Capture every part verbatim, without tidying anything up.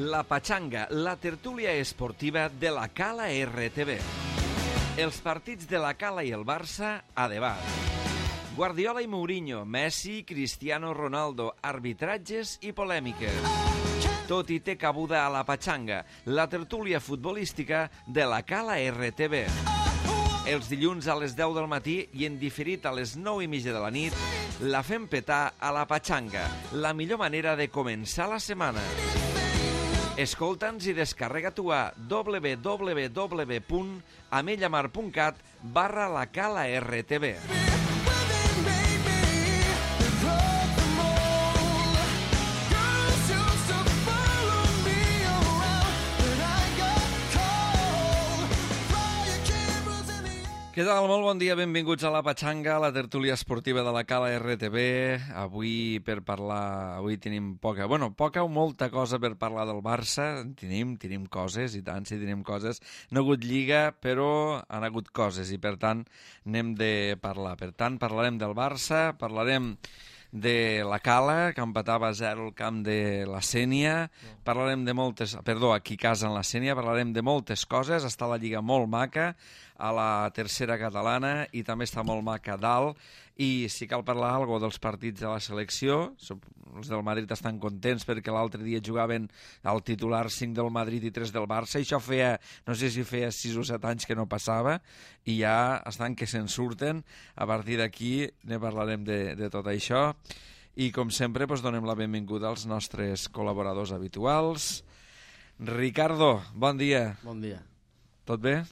La Pachanga, la tertúlia esportiva de la Cala R T V. Els partits de la Cala i el Barça a debat. Guardiola i Mourinho, Messi, Cristiano Ronaldo, arbitratges i polèmiques. Tot i té cabuda a la Pachanga, la tertúlia futbolística de la Cala R T V. Els dilluns a les deu del matí i en diferit a les nou i mitja de la nit, la fem petar a la Pachanga, la millor manera de començar la setmana. Escolta'ns i descarrega-t'ho a w w w punt amellamar punt cat barra la Cala R T V. Què tal? Molt bon dia, benvinguts a la Pachanga, la tertúlia esportiva de la Cala R T V. Avui per parlar, avui tenim poca, bueno, poca o molta cosa per parlar del Barça. Tenim, tenim coses, i tant, sí, tenim coses. No ha hagut lliga, però han hagut coses, i per tant n'hem de parlar. Per tant, parlarem del Barça, parlarem de la Cala, que empatava a zero al camp de la Sénia, parlarem de moltes, perdó, aquí a casa en la Sénia, parlarem de moltes coses, està la lliga molt maca, a la tercera catalana, i també està molt maca a dalt, i si cal parlar alguna dels partits de la selecció, els del Madrid estan contents perquè l'altre dia jugaven al titular cinc del Madrid i tres del Barça, i això feia, no sé si feia sis o set anys que no passava, i ja estan que se'n surten. A partir d'aquí ne parlarem de, de tot això, i com sempre doncs, donem la benvinguda als nostres col·laboradors habituals. Ricardo, bon dia. Bon dia. Tot bé?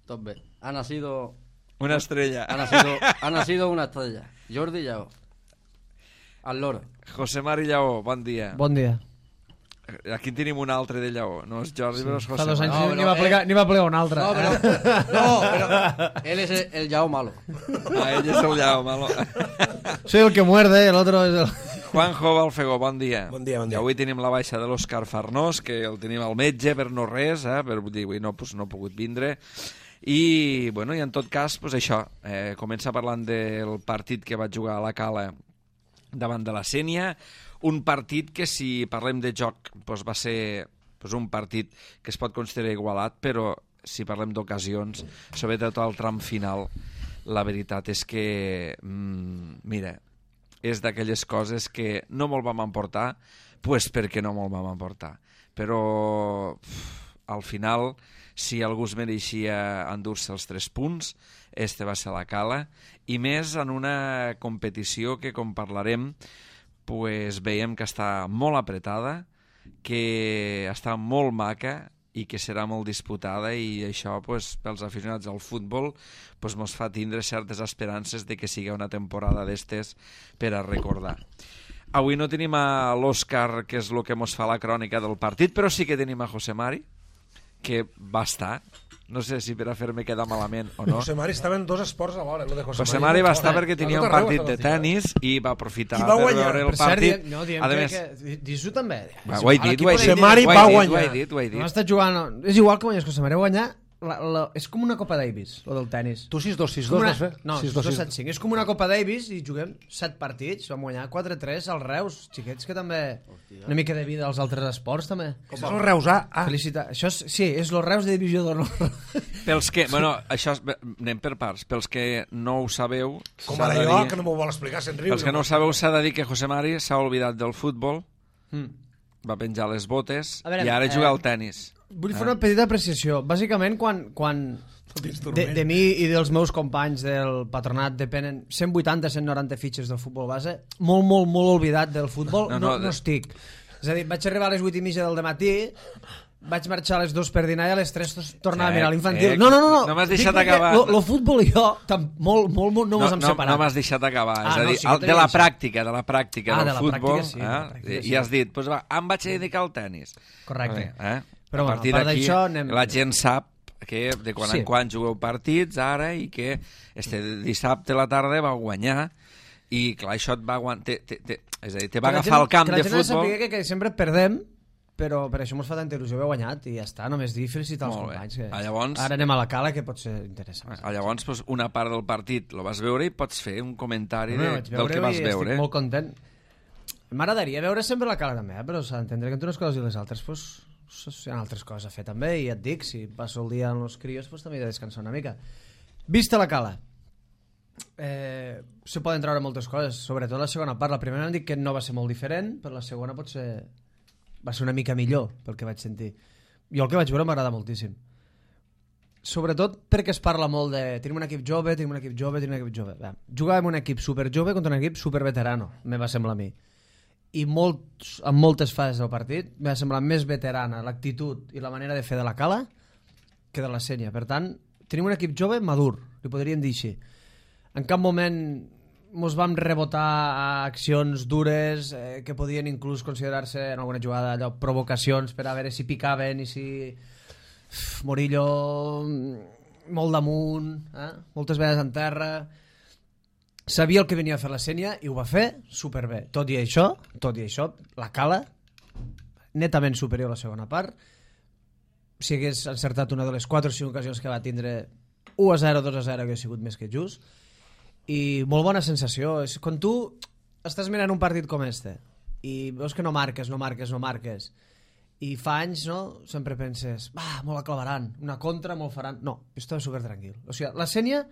Tot bé. Ha nacido... Una estrella. Ha nacido, ha nacido una estrella. Jordi Lleó. Al loro. José Mari Lleó, bon dia. Bon dia. Aquí tenim un altre de Lleó. No és Jordi, sí. Però és José Fa dos anys Mari. no, n'hi va, plegar, eh... va plegar un altre. No, però... Eh? No, però... Él es el, el Lleó malo. Ah, ell és el Lleó malo. Soy el que muerde, el otro es el... Juanjo Balfegó, bon dia. Bon dia, bon dia. I avui tenim la baixa de l'Òscar Farnós, que el tenim al metge per no res, eh? Per dir, avui no, pues, no ha pogut vindre. I, bueno, i en tot cas, pues això, eh, comença parlant del partit que va jugar a la Cala davant de la Sénia, un partit que, si parlem de joc, pues va ser pues un partit que es pot considerar igualat, però si parlem d'ocasions, sobretot al tram final, la veritat és que, mmm, mira, és d'aquelles coses que no molt vam emportar, pues perquè no molt vam emportar. Però uf, al final, si algú es mereixia endur-se els tres punts, este va ser la Cala, i més en una competició que, com parlarem, pues veiem que està molt apretada, que està molt maca i que serà molt disputada, i això pues, pels aficionats al futbol pues, mos fa tindre certes esperances de que sigui una temporada d'estes per a recordar. Avui no tenim a l'Òscar, que és el que mos fa la crònica del partit, però sí que tenim a José Mari, que va estar, no sé si per a fer-me quedar malament o no. José Mari estava en dos esports alhora. Lo de José, José Mari Mari va estar perquè tenia un partit de tennis i va aprofitar va per guanyar. veure el Per cert, partit. no, diem A que, més, que... Dis-ho també. va, ho he dit, ho he dit. José Mari ho he va dit, guanyar. Ho he dit, ho he No dit. està jugant... És igual que guanyes José Mari, va guanyar... La, la, és com una Copa Davis, lo del tennis. Tu sis dos, sis Com dos una... vas fer? No, sis sis dos, dos set cinc. És com una Copa Davis i juguem set partits. Vam guanyar quatre tres als Reus. Xiquets que també... Hòstia. Una mica de vida als altres esports, també. Com va el Reus, ah? ah. Felicitat. Això és, sí, és los Reus de divisió d'honor. Pels que, bueno, això és, anem per parts. Pels que no ho sabeu... Com s'ha ara de jo, dir- que no m'ho vol explicar, se'n riu. Pels que no ho sabeu, s'ha de dir que José Mari s'ha oblidat del futbol, Mm. va penjar les botes A veure, i ara eh, juga al tennis. Vull fer una petita apreciació. Bàsicament, quan, quan de, de mi i dels meus companys del patronat depenen cent vuitanta a cent noranta fitxes del futbol base, molt, molt, molt oblidat del futbol, No, no, no, no, de- no estic. És a dir, vaig arribar a les vuit i mitja del matí, vaig marxar a les dues per dinar i a les tres tornava Eh, a mirar l'infantil. eh, no, no, no, no. no m'has Dic deixat perquè acabar. Lo, lo futbol i jo, tam, molt, molt, molt no, No, mos hem no, separat. no m'has deixat acabar, Ah, és a no, dir, sí que el- t'he de la deixat. pràctica, de la pràctica Ah, del de la futbol, pràctica, sí, de la eh? pràctica, sí. I has dit, pues va, em vaig a dedicar al tennis. Correcte. Eh? Però, a bueno, partir a part d'aquí, d'això, anem- la gent sap que de quan Sí. en quan jugueu partits ara i que este dissabte a la tarda va guanyar i clar, això et va aguantar, te, te, te, és a dir, te va Que la agafar gent- el camp que de la gent ha de futbol. saber que, que sempre perdem, però per això mos fa tanta il·lusió haver guanyat i ja està, només dir felicitar els Molt bé. companys. Que Ah, llavors- Ara anem a la Cala, que pot ser interessant. Ah, Llavors, pues, una part del partit lo vas veure i pots fer un comentari No, de, vaig del que veure-ho vas i veure. estic molt content. M'agradaria veure sempre la Cala també, eh? Però s'ha d'entendre que entre unes coses i les altres pues, hi ha altres coses a fer també, i et dic, si passo el dia amb els crios pues, també he de descansar una mica. Vista la Cala, eh, se poden treure moltes coses, sobretot la segona part. La primera em dic que no va ser molt diferent, però la segona potser va ser una mica millor pel que vaig sentir. Jo el que vaig veure m'agrada moltíssim. Sobretot perquè es parla molt de tenim un equip jove, tenim un equip jove, tenim un equip jove. Bé, jugàvem un equip super jove contra un equip super veterano, me va semblar a mi. I molts, en moltes fases del partit me va semblar més veterana l'actitud i la manera de fer de la Cala que de la Sénia. Per tant, tenim un equip jove madur, li podríem dir així. En cap moment mos vam rebotar a accions dures eh, que podien inclús considerar-se en alguna jugada allò, provocacions per a veure si picaven i si Uf, Morillo molt damunt, eh? moltes vegades en terra. Sabia el que venia a fer la Sénia i ho va fer superbé. Tot i això, tot i això, la Cala netament superior a la segona part. Si hagués encertat una de les quatre o cinc ocasions que va tindre, u a zero, dos a zero, que ha sigut més que just. I molt bona sensació. És quan tu estàs mirant un partit com este i veus que no marques, no marques, no marques, i fa anys, no? Sempre penses, va, molt la clavaran, una contra, molt faran. No, jo estava super tranquil. O sigui, la Sénia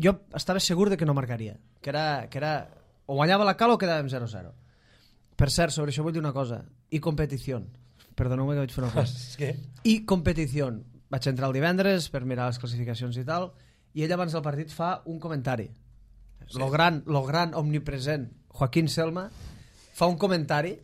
jo estava segur de que no marcaria, que era, que era o guanyava la Cala o quedàvem zero a zero. Per cert, sobre això vull dir una cosa, i competició, perdoneu-me que vaig fer una cosa, i competició. Vaig entrar el divendres per mirar les classificacions i tal, i ell abans del partit fa un comentari, sí. lo gran, lo gran omnipresent Joaquín Selma fa un comentari.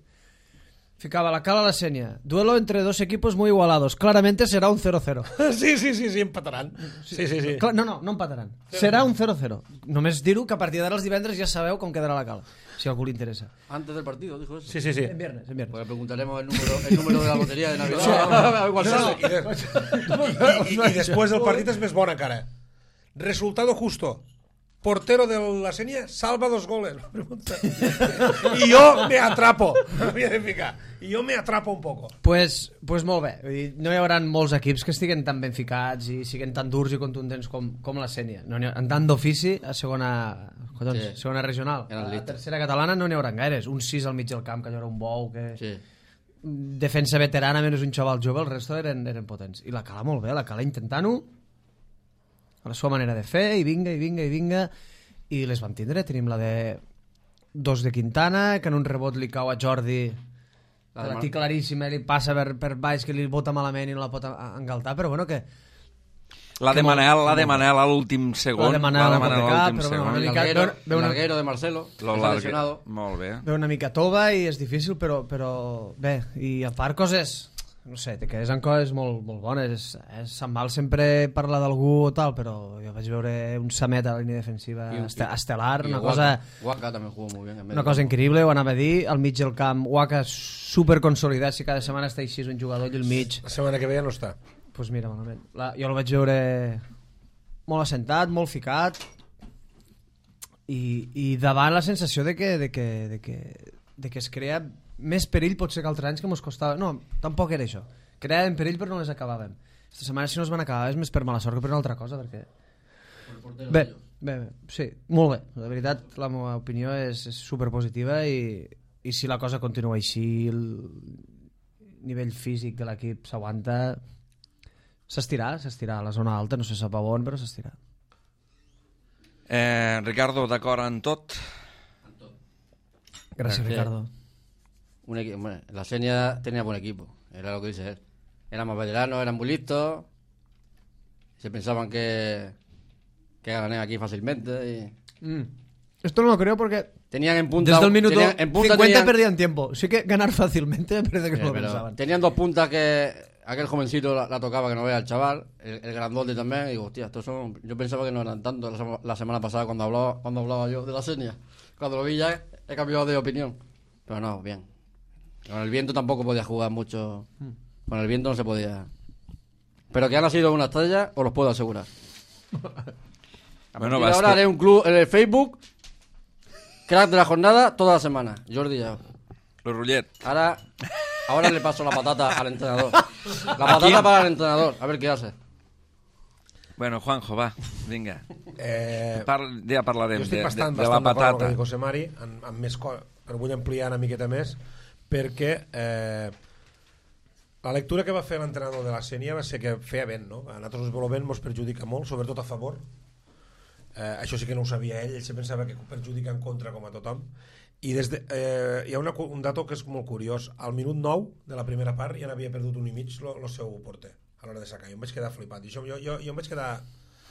Ficaba la Cala a la Sénia. Duelo entre dos equipos muy igualados. Claramente será un cero cero. Sí, sí, sí, sí, empataran. Sí, sí, sí. No, no, no empataran. Serà un cero cero. Només dir-ho que a partir d'ara els divendres ja sabeu com quedarà la Cala, si a algú li interessa. Antes del partido, dijo eso. Sí, sí, sí. En viernes, en viernes. Porque preguntaremos el número, el número de la lotería de Navidad. No, no, i, de, i, i, I després del partit és més bona cara. Resultado justo. Portero de la Sénia salva dos goles. I jo me atrapo. M'havia de ficar. I jo me atrapo un poco. Pues, pues molt bé. Vull dir, no hi haurà molts equips que estiguen tan ben ficats i siguin tan durs i contundents com, com la Sénia. No ha, en tant d'ofici a segona, collons, sí. segona regional. A la tercera catalana no n'hi haurà gaires. Un sis al mig del camp, que hi haurà un bou, que... Sí. Defensa veterana, menys un xaval jove, el resto eren, eren potents. I la Cala molt bé, la Cala intentant-ho a la seva manera de fer, i vinga, i vinga, i vinga, i les vam tindre. Tenim la de dos de Quintana, que en un rebot li cau a Jordi, la, la té claríssima, li passa per, per baix, que li bota malament i no la pot engaltar, però bueno, que... La de Manel, la de Manel a l'últim segon. La de Manel, la de Manel a l'últim però segon. bueno, El larguero, el larguero de Marcelo, Lo que s'ha lesionado. Molt bé. Ve una mica tova i és difícil, però, però bé, i a part coses... no sé, te quedes en coses molt, molt bones. És, se'n val sempre parlar d'algú o tal, però jo vaig veure un Samet a la línia defensiva I, este, estelar, i una Waka, cosa Waka també jugó muy bien, una cosa increïble, ho anava a dir, al mig del camp Waka super consolidat, si cada setmana està així un jugador i al mig, La setmana que ve ja no està. pues mira, malament. La, jo el vaig veure molt assentat, molt ficat, i, i davant la sensació de que, de que, de que, de que es crea més perill potser que altres anys que mos costava. No, tampoc era això. Creàvem perill però no les acabàvem. Esta setmana si no es van acabar és més per mala sort que per una altra cosa, perquè... Bé, bé, bé, sí, molt bé. De veritat, la meva opinió és, és superpositiva i, i si la cosa continua així, el nivell físic de l'equip s'aguanta, s'estirà, s'estirà a la zona alta, no se sap a on, però s'estirà. Eh, Ricardo, d'acord en tot? Gràcies, Gracias. Ricardo. Un equi- bueno, la Sénia tenía buen equipo, era lo que dice él. Eran más veteranos, eran muy listos. Se pensaban que, que ganarían aquí fácilmente. Y... Mm. Esto no lo creo porque Tenían en punta. desde el minuto tenían, en punta cincuenta tenían, perdían tiempo. Sí que ganar fácilmente me parece que Sí, no lo pero pensaban. tenían dos puntas que aquel jovencito la, la tocaba que no vea el chaval, el, el grandote también. Y digo, hostia, estos son. Yo pensaba que no eran tantos la, sema- la semana pasada cuando hablaba, cuando hablaba yo de la Sénia. Cuando lo vi ya he cambiado de opinión. Pero no, bien. Con el viento tampoco podía jugar mucho. Con el viento no se podía. Pero que han sido una estrella, os los puedo asegurar. A Bueno, partir de vas ahora que- haré un club en el Facebook. Crack de la jornada toda la semana. Jordi Yao. Lo Rullet. Ahora, ahora le paso la patata al entrenador. La patata para el entrenador. A ver qué hace. Bueno, Juanjo, va, vinga. Eh, Par ja parlarem jo estic de, bastant, de, de bastant la d'acord amb el patata. que diu José Mari, amb, amb més, co però vull ampliar una miqueta més, perquè eh, la lectura que va fer l'entrenador de la Sénia va ser que feia vent, no? A nosaltres el vent ens perjudica molt, sobretot a favor. Eh, això sí que no ho sabia ell, ell se pensava que perjudica en contra com a tothom. I des de, eh, hi ha una, un dato que és molt curiós. Al minut nou de la primera part ja n'havia perdut un i mig el seu porter a l'hora de sacar. Jo em vaig quedar flipat. I això, jo, jo, jo em vaig quedar...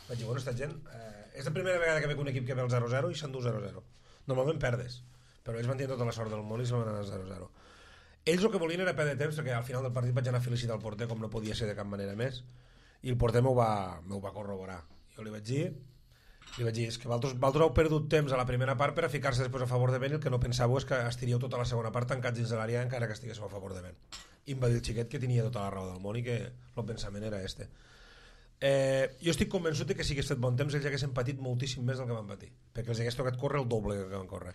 Vaig dir, bueno, esta gent... Eh, és la primera vegada que veig un equip que ve el zero zero i s'endú zero zero. Normalment perdes, però ells van tenir tota la sort del món i se'n van anar al zero zero. Ells el que volien era perdre temps, perquè al final del partit vaig anar a felicitar el porter, com no podia ser de cap manera més, i el porter m'ho va, m'ho va corroborar. Jo li vaig dir, li vaig dir, és que vosaltres, vosaltres heu perdut temps a la primera part per a ficar-se després a favor de vent, i el que no pensàveu és que estiríeu tota la segona part tancats dins de l'àrea encara que estiguéssiu a favor de vent. I em va dir el xiquet que tenia tota la raó del món i que el pensament era este. Eh, jo estic convençut que si hagués fet bon temps ells haguessin patit moltíssim més del que van patir, perquè els hagués tocat córrer el doble que van córrer.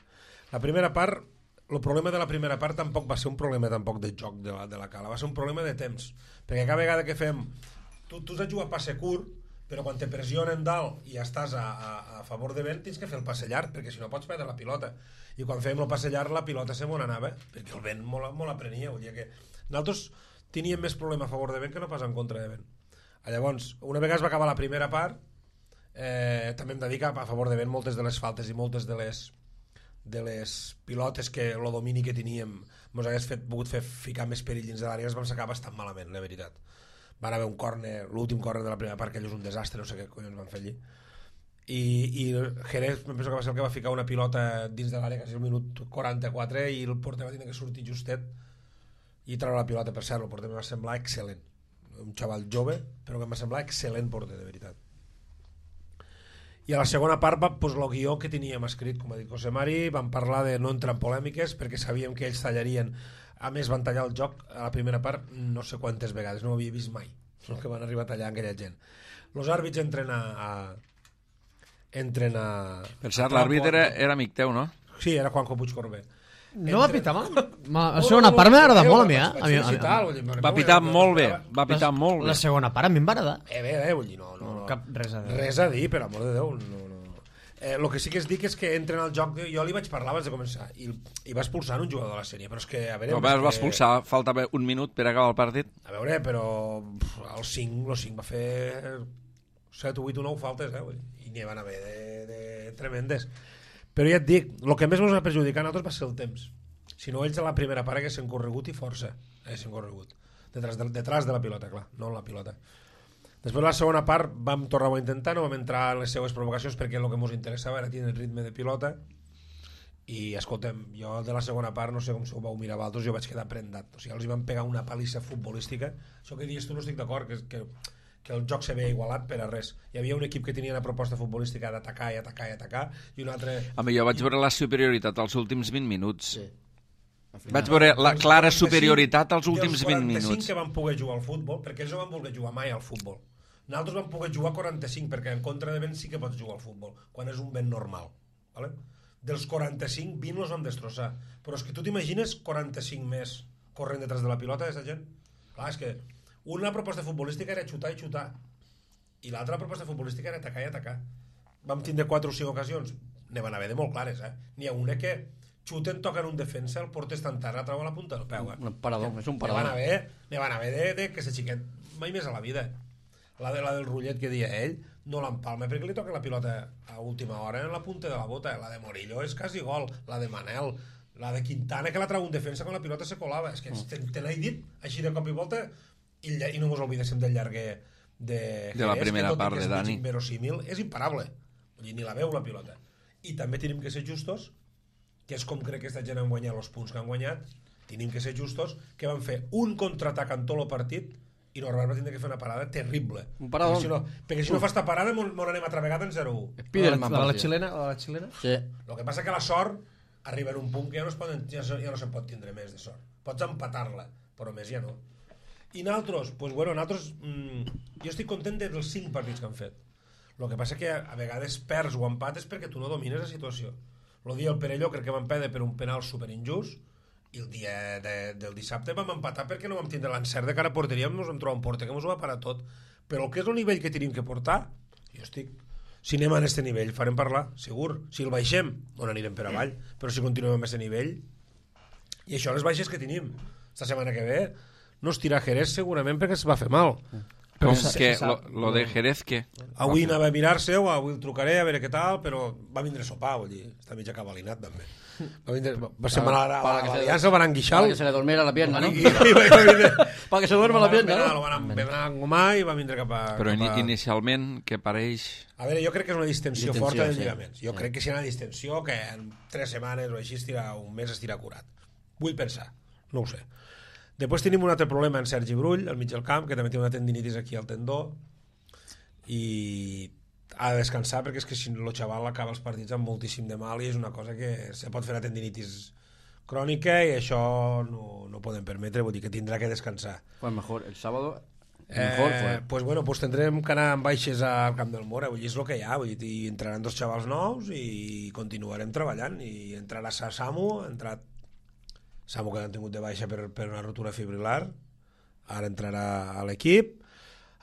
La primera part, el problema de la primera part tampoc va ser un problema tampoc de joc de la, de la cala, va ser un problema de temps, perquè cada vegada que fem tu, tu has de jugar passe curt, però quan te pressionen dalt i estàs a, a, a favor de vent tens que fer el passe llarg, perquè si no pots perdre la pilota, i quan fèiem el passe llarg la pilota se m'on anava, perquè el vent molt, molt aprenia, vull dir que nosaltres teníem més problema a favor de vent que no pas en contra de vent. Llavors, una vegada es va acabar la primera part, eh, també hem de dir que a favor de vent moltes de les faltes i moltes de les de les pilotes que el domini que teníem ens hagués fet, pogut fer ficar més perill dins de l'àrea, es vam sacar bastant malament, la veritat. Van haver un córner, l'últim córner de la primera part, que allò és un desastre, no sé què collons van fer allí. I, i Jerez, em penso que va ser el que va ficar una pilota dins de l'àrea quasi el minut quaranta-quatre i el porter va tenir que sortir justet i treure la pilota. Per cert, el porter em va semblar excel·lent. Un xaval jove, però que em va semblar excel·lent porter, de veritat. I a la segona part va, doncs, el guió que teníem escrit, com ha dit José Mari, vam parlar de no entrar en polèmiques perquè sabíem que ells tallarien. A més van tallar el joc a la primera part no sé quantes vegades, no ho havia vist mai el que van arribar a tallar aquella gent. Els àrbits entren a, a entren a... Per cert, l'àrbit era, era amic teu, no? Sí, era Juanjo Puigcorbé. No va pitar mal? La segona part m'ha agradat molt a mi, eh? Va pitar molt bé, va pitar molt bé. La segona part a mi em va agradar. Eh, bé, eh, vull dir, no, no, no. Cap res a dir. Res a dir, per amor de Déu, no, no. Eh, el que sí que es dic és que entren al joc, jo li vaig parlar abans de començar, i, i va expulsar un jugador de la sèrie, però és que, a veure... No, el va expulsar, faltava un minut per acabar el partit. A veure, però el cinc, el cinc va fer set, vuit o nou faltes, eh, i n'hi van haver de, de tremendes. Però ja et dic, el que més ens va perjudicar a nosaltres va ser el temps. Si no, ells a la primera part haguessin corregut i força haguessin corregut detrás de, detrás de la pilota, clar, no en la pilota. Després la segona part vam tornar a intentar, no vam entrar en les seues provocacions perquè el que ens interessava era tenir el ritme de pilota i escoltem, jo de la segona part no sé com se ho vau mirar vosaltres, jo vaig quedar prendat, o sigui, els hi van pegar una palissa futbolística. Això que dius tu no estic d'acord, que, que, que el joc se veia igualat per a res. Hi havia un equip que tenia una proposta futbolística d'atacar i atacar i atacar i un altre... Home, jo vaig veure la superioritat als últims vint minuts. Sí. Vaig veure la clara superioritat als últims vint minuts. Els quaranta-cinc que van poder jugar al futbol, perquè ells no van voler jugar mai al futbol. Nosaltres vam poder jugar quaranta-cinc, perquè en contra de vent sí que pots jugar al futbol, quan és un vent normal. ¿Vale? Dels quaranta-cinc, vint els vam destrossar. Però és que tu t'imagines quaranta-cinc més corrent detrás de la pilota, aquesta gent? Clar, és que una proposta futbolística era xutar i xutar, i l'altra proposta futbolística era atacar i atacar. Vam tindre quatre o cinc ocasions, ne van haver de molt clares, eh? N'hi ha una que xuten, toquen un defensa, el porter està enterrat, la treu a la punta del peu. Eh? Un parador, és un parador. Ne van haver, ne van haver de, de que se xiquet mai més a la vida. La, de, la del rotllet que dia ell, no l'empalma perquè li toca la pilota a última hora en la punta de la bota. La de Morillo és quasi gol, la de Manel, la de Quintana que la treu un defensa quan la pilota se colava. És que te, te n'he dit així de cop i volta i, i no mos oblidéssim del llarguer de, de la primera part de Dani. Verosímil, és imparable. Vull dir, ni la veu la pilota. I també tenim que ser justos, que és com crec que aquesta gent han guanyat els punts que han guanyat, tenim que ser justos, que van fer un contraatac en tot el partit i normalment va tindre que fer una parada terrible. Un parador. Perquè si no, perquè si no fa esta parada mon, mon anem altra vegada en zero u. Spiderman, La, la, la parecia. xilena? La, la xilena? Sí. El que passa que la sort arriba en un punt que ja no, es poden, ja, ja no se'n pot tindre més de sort. Pots empatar-la, però més ja no. I nosaltres, pues bueno, nosaltres, mmm, jo estic content dels cinc partits que han fet. El que passa que a, a vegades perds o empates perquè tu no domines la situació. El dia del Perelló crec que vam perdre per un penal superinjust i el dia de, del dissabte vam empatar perquè no vam tindre l'encert de cara a porteria, ens vam trobar un porter que ens ho va parar tot. Però el que és el nivell que tenim que portar, jo estic si anem a aquest nivell farem parlar, segur. Si el baixem, on anirem per avall, però si continuem amb aquest nivell, i això les baixes que tenim esta setmana que ve, no es tira Jerez segurament perquè es va fer mal. Com que lo, lo de Jerez, què? Avui anava a mirar-se-ho, avui el trucaré a veure què tal, però va vindre a sopar, vull dir, està mig acabalinat també. Va, vindre, va ser mal a l'Aliança, el van enguixar. Para que se le durmiera la pierna, ¿no? I, i, va vindre, Para que se duerma la pierna, ¿no? ¿no? Lo van a engomar i va vindre cap a... Però cap a... inicialment, que pareix... A veure, jo crec que és una distensió, Distensió, forta dels sí. lligaments. Jo Sí. crec que si hi ha una distensió que en tres setmanes o així estira un mes estira curat. Vull pensar, no ho sé. Després tenim un altre problema en Sergi Brull, al mig del camp, que també té una tendinitis aquí al tendó i ha de descansar perquè és que si el xaval acaba els partits amb moltíssim de mal i és una cosa que se pot fer una tendinitis crònica i això no, no podem permetre, vull dir que tindrà que descansar. Pues mejor, el sábado mejor Eh, fue. pues bueno, pues tendrem que anar amb baixes al Camp del Mora, vull dir, és el que hi ha, vull dir, i entraran dos xavals nous i continuarem treballant i entrarà Samu, ha entrat Samu que l'han tingut de baixa per, per una rotura fibrilar, ara entrarà a l'equip,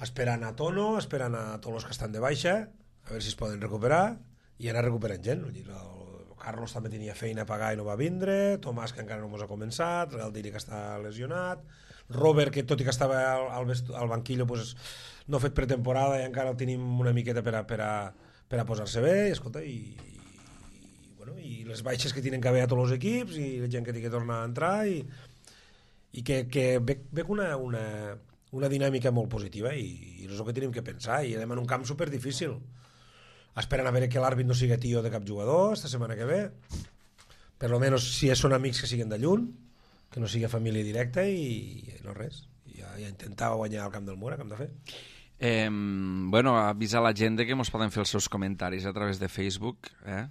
esperant a Tono, esperant a tots els que estan de baixa, a veure si es poden recuperar i anar recuperant gent, vull dir, el Carlos també tenia feina a pagar i no va vindre, Tomàs que encara no mos ha començat, Galdiri que està lesionat, Robert que tot i que estava al, al, vestu, al banquillo pues, no ha fet pretemporada i encara el tenim una miqueta per a, per a, per a posar-se bé i escolta i, i, bueno, i les baixes que tenen que haver a tots els equips i la gent que té que tornar a entrar i, i que, que ve, ve una, una, una dinàmica molt positiva i, i és el que tenim que pensar i anem en un camp super difícil esperant a veure que l'àrbit no sigui tio de cap jugador esta setmana que ve per lo menos si són amics que siguen de lluny que no sigui família directa i, i no res ja, ja intentava guanyar al Camp del Mura, que hem de fer Eh, bueno, avisar la gent que ens poden fer els seus comentaris a través de Facebook, eh?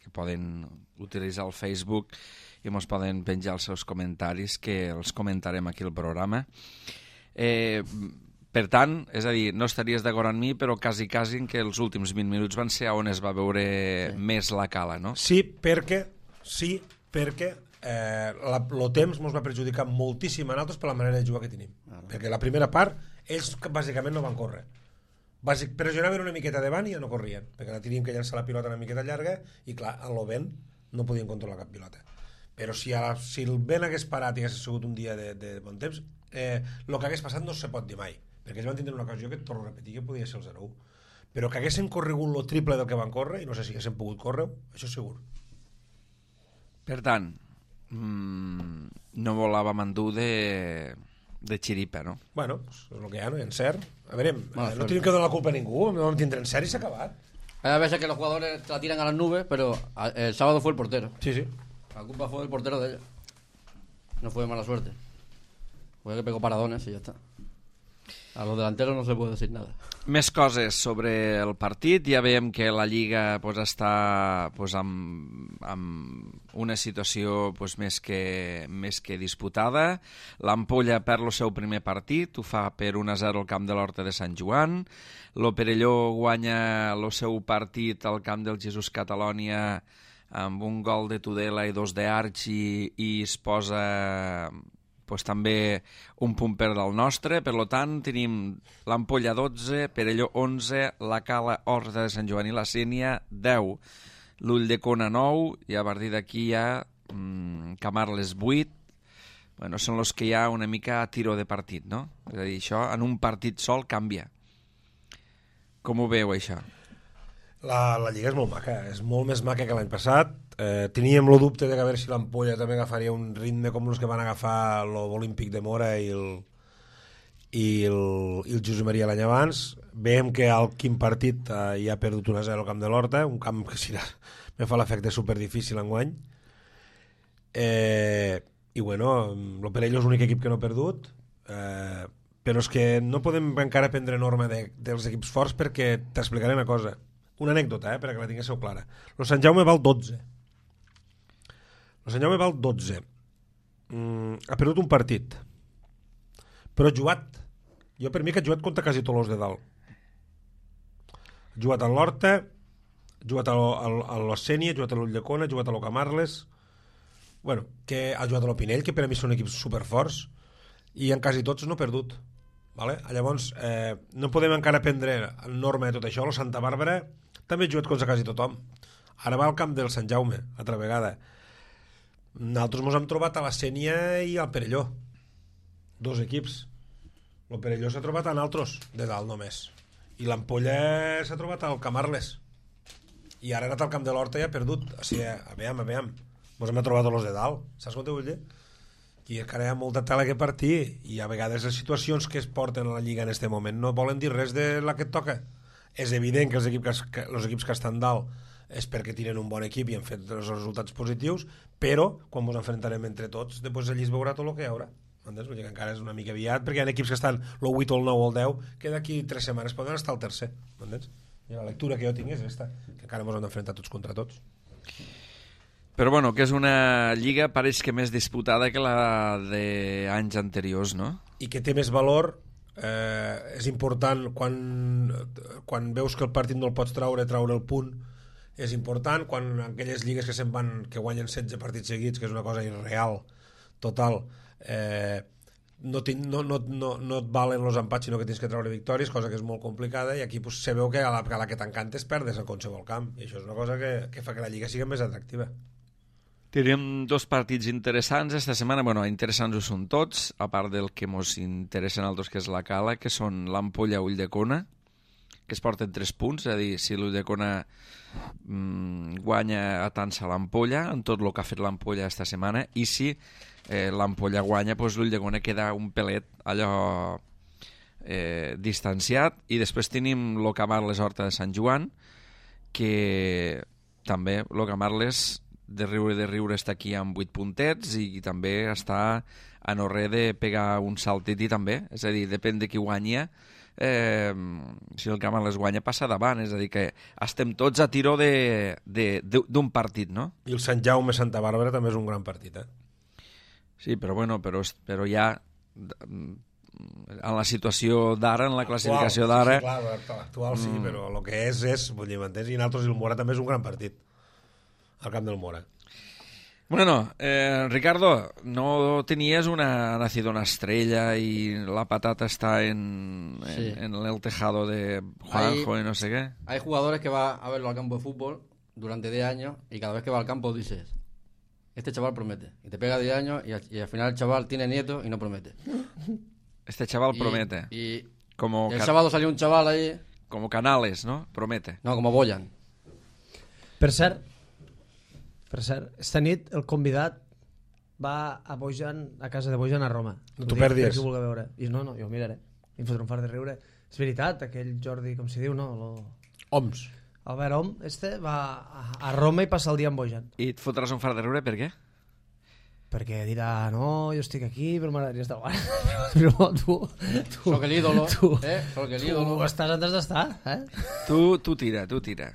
que poden utilitzar el Facebook i ens poden penjar els seus comentaris, que els comentarem aquí al programa. Eh, per tant, és a dir, no estaries d'acord amb mi, però quasi, quasi en que els últims vint minuts van ser on es va veure sí. més la cala, no? Sí, perquè, sí, perquè eh, la, el temps ens va perjudicar moltíssim a nosaltres per la manera de jugar que tenim. Ah, no. Perquè la primera part, ells bàsicament no van córrer. Bàsic, pressionaven una miqueta davant i ja no corrien, perquè la teníem que llançar la pilota una miqueta llarga i clar, en el vent no podien controlar cap pilota. Però si, a la, si el vent hagués parat i hagués sigut un dia de, de bon temps, eh, el que hagués passat no se pot dir mai, perquè ells van tindre una ocasió que, torno a repetir, que podia ser el zero u. Però que haguessin corregut el triple del que van córrer, i no sé si haguessin pogut córrer, això és segur. Per tant, mmm, no volàvem endur de... de xiripa, no? Bueno, pues és el que hi ha, no hi ha encert. A veure, Mala eh, no suerte. tenim que donar la culpa a ningú, no vam tindre encert i s'ha acabat. Hay veces que los jugadores la tiran a las nubes, pero a- el sábado fue el portero. Sí, sí. La culpa fue del portero de ellos. No fue de mala suerte. Fue que pegó paradones y ya está. A los delanteros no se puede decir nada. Més coses sobre el partit. Ja veiem que la Lliga pues, està pues, amb, amb una situació pues, més, que, més que disputada. L'Ampolla perd el seu primer partit, ho fa per un a zero al camp de l'Horta de Sant Joan. L'Operelló guanya el seu partit al camp del Jesús Catalònia amb un gol de Tudela i dos d'Archi i es posa... pues, també un punt per del nostre, per tant tenim l'Ampolla dotze, Perelló onze, la Cala, Horta de Sant Joan i la Sénia deu, l'Ull de Cona nou i a partir d'aquí hi ha mmm, Camarles vuit. Bueno, són els que hi ha una mica a tiro de partit, no? És a dir, això en un partit sol canvia. Com ho veu, això? La, la Lliga és molt maca, és molt més maca que l'any passat. Eh, teníem el dubte de que a veure si l'Ampolla també agafaria un ritme com els que van agafar l'Olímpic de Mora i el, i el, i el Josep Maria l'any abans. Veiem que al quin partit eh, ja ha perdut un a zero al camp de l'Horta, un camp que si me fa l'efecte superdifícil enguany. Eh, I bueno, l'Operelló és l'únic equip que no ha perdut, eh, però és que no podem encara prendre norma de, dels equips forts perquè t'explicaré una cosa. Una anècdota, eh, perquè la tinguéssiu clara. El Sant Jaume val dotze. El Sant Jaume val dotze. Mm, ha perdut un partit. Però ha jugat. Jo per mi que ha jugat contra quasi tots els de dalt. Ha jugat a l'Horta, ha jugat a, a, a l'Ossènia, ha jugat a l'Ull de Cona, ha jugat a l'Ocamarles. Bueno, que ha jugat a l'Opinell, que per a mi són equips superforts, i en quasi tots no ha perdut. Vale? Llavors, eh, no podem encara prendre norma de tot això. El Santa Bàrbara també he jugat contra quasi tothom. Ara va al camp del Sant Jaume, altra vegada. Nosaltres ens hem trobat a la Sénia i al Perelló. Dos equips. El Perelló s'ha trobat a nosaltres, de dalt només. I l'Ampolla s'ha trobat al Camarles. I ara ha anat al camp de l'Horta i ha perdut. O sigui, a veure, a veure. Ens hem trobat a los de dalt. Saps com te vull dir? I encara hi ha molta tela que partir. I a vegades les situacions que es porten a la Lliga en aquest moment no volen dir res de la que et toca. És evident que els equips que, els equips que estan dalt és perquè tenen un bon equip i han fet els resultats positius, però quan ens enfrontarem entre tots, després allí es veurà tot el que hi haurà. Entens? Vull dir que encara és una mica aviat, perquè hi ha equips que estan el vuit, el nou o el deu, que d'aquí tres setmanes poden estar al tercer. Entens? I la lectura que jo tinc és aquesta, que encara ens hem d'enfrontar tots contra tots. Però bueno, que és una lliga pareix que més disputada que la d'anys anteriors, no? I que té més valor. Eh, és important quan, quan veus que el partit no el pots traure, traure el punt és important, quan aquelles lligues que se'n van, que guanyen setze partits seguits, que és una cosa irreal total, eh, no, no, no, no, no et valen els empats sinó que tens que treure victòries, cosa que és molt complicada, i aquí pues, se veu que a la, a la que t'encantes perdes en qualsevol camp, i això és una cosa que, que fa que la lliga sigui més atractiva. Tenim dos partits interessants esta setmana. Bueno, interessants ho són tots, a part del que ens interessa a nosaltres, que és la Cala, que són l'Ampolla Ulldecona, que es porten tres punts, és a dir, si l'Ulldecona mmm, guanya a tant-se l'Ampolla, en tot el que ha fet l'Ampolla esta setmana, i si eh, l'Ampolla guanya, doncs l'Ulldecona queda un pelet allò eh, distanciat, i després tenim el Camarles Horta de Sant Joan, que també el Camarles de riure de riure està aquí amb vuit puntets i també està a no res de pegar un saltet i també, és a dir, depèn de qui guanya, eh, si el Camarles guanya passa davant, és a dir que estem tots a tiró d'un partit, no? I el Sant Jaume Santa Bàrbara també és un gran partit, eh? Sí, però bueno, però, però ja en la situació d'ara, en la classificació d'ara... Sí, sí, clar, l'actual sí, mm. però el que és, és, vull dir, m'entens? I nosaltres el Mora també és un gran partit al camp del Mora. Bueno, eh, Ricardo, no tenies una nacido una estrella y la patata está en, sí. en, en el tejado de Juanjo hay, y no sé qué. Hay jugadores que va a verlo al campo de fútbol durante diez años y cada vez que va al campo dices, este chaval promete. Y te pega diez años y, y al final el chaval tiene nietos y no promete. Este chaval y, promete. Y, como y el sábado salió un chaval ahí... Como Canales, ¿no? Promete. No, como Boyan. Per cert, Per cert, esta nit el convidat va a Bojan, a casa de Bojan a Roma. No t'ho perdis. Veure. I no, no, jo ho miraré. I em fotré un fart de riure. És veritat, aquell Jordi, com s'hi diu, no? Lo... Oms. Albert Om, este, va a Roma i passa el dia amb Bojan. I et fotràs un fart de riure, per què? Perquè dirà, no, jo estic aquí, però m'agradaria estar al bar. Però tu... tu Soc l'ídolo, tu, eh? Soc l'ídolo. Tu estàs on has d'estar, eh? Tu, tu tira, tu tira.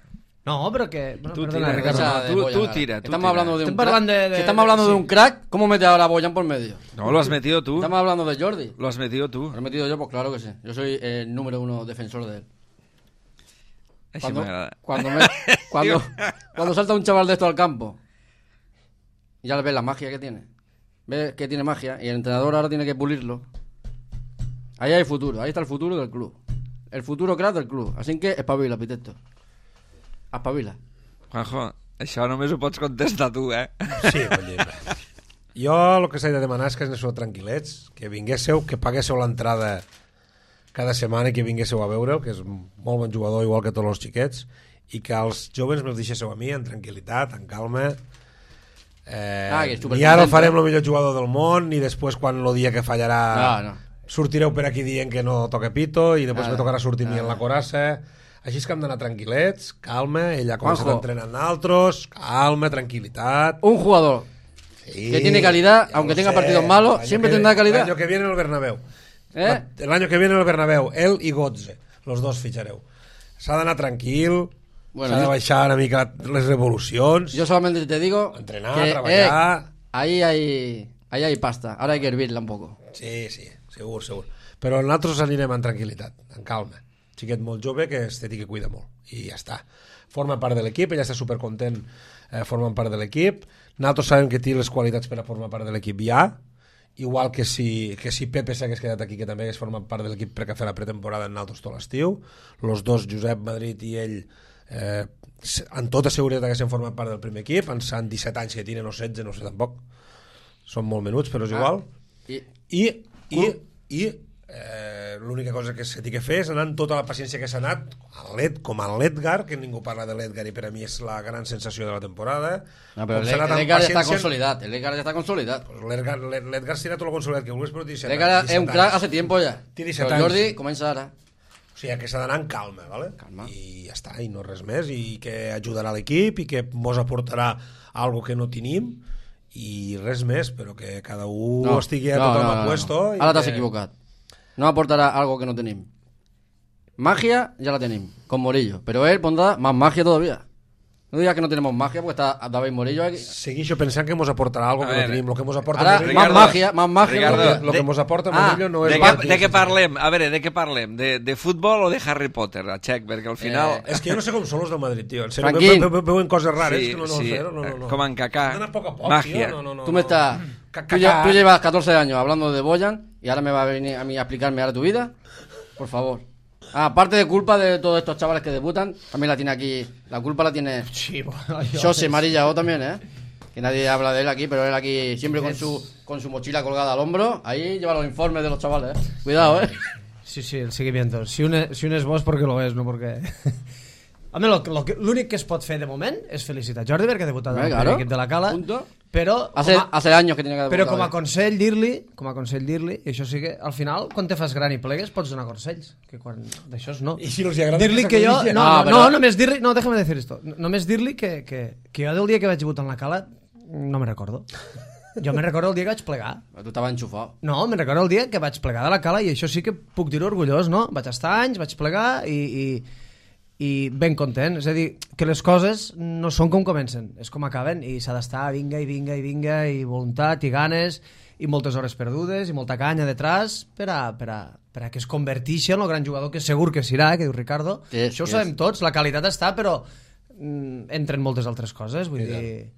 No, pero que... Bueno, tú perdona, tira, Ricardo. tú, tú, tú tira. Tú estamos tira. hablando de un crack. De, de, si estamos hablando de, de un crack, ¿cómo mete ahora a Boyan por medio? No, lo has metido tú. Estamos hablando de Jordi. Lo has metido tú. ¿Lo he metido yo? Pues claro que sí. Yo soy el número uno defensor de él. Cuando, cuando, me, cuando, cuando salta un chaval de esto al campo, ya le ves la magia que tiene. Ves que tiene magia y el entrenador ahora tiene que pulirlo. Ahí hay futuro. Ahí está el futuro del club. El futuro crack del club. Así que espabila, Piteto. Espabila. Juanjo, això només ho pots contestar tu, eh? Sí, vull dir... Jo el que s'ha de demanar és que aneu tranquil·lets, que vinguéssiu, que paguéssiu l'entrada cada setmana i que vinguéssiu a veure'l, que és molt bon jugador, igual que tots els xiquets, i que els joves me'ls deixéssiu a mi, en tranquil·litat, en calma. Eh, ah, ni ara el farem el millor jugador del món, ni després, quan el dia que fallarà, no, no. sortireu per aquí dient que no toca pito, i després ah, me tocarà sortir a mi en la corassa... Així és que hem d'anar tranquil·lets, calma, ella comença a entrenar amb altres, calma, tranquil·litat. Un jugador sí, que tiene calidad, aunque tenga sé, partidos malos, siempre que, tendrá calidad. El año que viene en el Bernabéu. ¿Eh? El año que viene en el Bernabéu, él y Götze, los dos fichareu. S'ha d'anar tranquil, bueno, s'ha de baixar una mica les revolucions. Yo solamente te digo entrenar, que, treballar... Eh, ahí, hay, ahí hay pasta, ahora hay que hervirla un poco. Sí, sí, segur, segur. Però nosaltres anirem en tranquil·litat, en calma. Xiquet molt jove que es té que cuida molt i ja està, forma part de l'equip, ella està supercontent eh, formant part de l'equip, nosaltres sabem que té les qualitats per a formar part de l'equip ja, igual que si, que si Pepe s'hagués quedat aquí, que també hagués format part de l'equip perquè fer la pretemporada en nosaltres tot l'estiu, els dos, Josep Madrid i ell, eh, amb tota seguretat haguessin format part del primer equip, en Sant disset anys que tenen o setze, no sé tampoc, són molt menuts però és igual, Ah, i... i, i, i eh, l'única cosa que se té que fer és anar amb tota la paciència que s'ha anat a l'Ed, com a l'Edgar, que ningú parla de l'Edgar i per a mi és la gran sensació de la temporada. No, però Com s'ha anat amb l'Edgar ja està paciència- consolidat, l'Edgar ja està consolidat. Pues l'Edgar l'Edgar serà tot el consolidat que vulguis, però té disset L'Edgar anys, és un disset crack anys. hace tiempo ja. Té disset Però el Jordi anys. comença ara. O sigui que s'ha d'anar amb calma, ¿vale? Calma. I ja està, i no res més, i que ajudarà l'equip i que mos aportarà algo que no tenim i res més, però que cada un no, estigui a tothom a puesto. I Ara t'has que... equivocat. No aportarà algo que no tenim. Magia ya la tenim, con Morillo. Pero él pondrá más magia todavía. No digas que no tenemos magia, porque está David Morillo aquí. Seguixo pensant que mos aportarà algo A que veure. no tenim. Lo que mos aporta Ara, Morillo, más Ricardo, magia, más magia. Ricardo, todavía. lo que de- mos aporta Ah, Morillo no De és què, magia. de què parlem? A veure, de què parlem? De, de futbol o de Harry Potter, a Txec? Perquè al final... Eh, És que jo no sé com són els del Madrid, tio. En sèrio, Tranquil. ve- ve- veuen coses rares sí, que no, no, sí, no, no, no, no. com en Kaká. Han anat a poc a poc, Magia. tio. No, no, no, Tú me estás... Ca- Tú, ca- lle- ca- tú llevas catorce años hablando de Boyan y ahora me va a venir a mí a explicarme ahora tu vida. Por favor. Ah, aparte de culpa de todos estos chavales que debutan, también la tiene aquí... La culpa la tiene Sí, bueno, jo... José Marillao también, ¿eh? Que nadie habla de él aquí, pero él aquí siempre con su, con su mochila colgada al hombro. Ahí lleva los informes de los chavales, ¿eh? Cuidado, ¿eh? Sí, sí, el seguimiento. Si un, es, si un és bo és perquè lo és, no perquè... Home, lo, lo, que- l'únic que es pot fer de moment és felicitar Jordi perquè ha debutat Eh, en el claro. primer equip de la Cala, Punto. però Hace, com a, hace años que tenía que però debutar com a ahí. consell dir-li, com a consell dir-li, i això sí que al final, quan te fas gran i plegues, pots donar consells, que quan d'això no. I si no els agrada Dir-li que que jo... s'acudilla. No, Ah, no, però- no, només dir-li... No, déjame decir esto. Només dir-li que, que, que jo del dia que vaig debutar en la Cala no me recordo. Jo me recordo el dia que vaig plegar. Pero tú estabas enchufado. No, me'n recordo el dia que vaig plegar de la Cala i això sí que puc dir-ho orgullós, no? Vaig estar anys, vaig plegar i, i, i ben content. És a dir, que les coses no són com comencen, és com acaben i s'ha d'estar vinga i vinga i vinga i voluntat i ganes i moltes hores perdudes i molta canya detrás per a, per a, per a que es convertixi en el gran jugador que segur que serà, que diu Ricardo. Que és, això ho que sabem és. tots, la qualitat està, però mm, entren moltes altres coses, vull dir...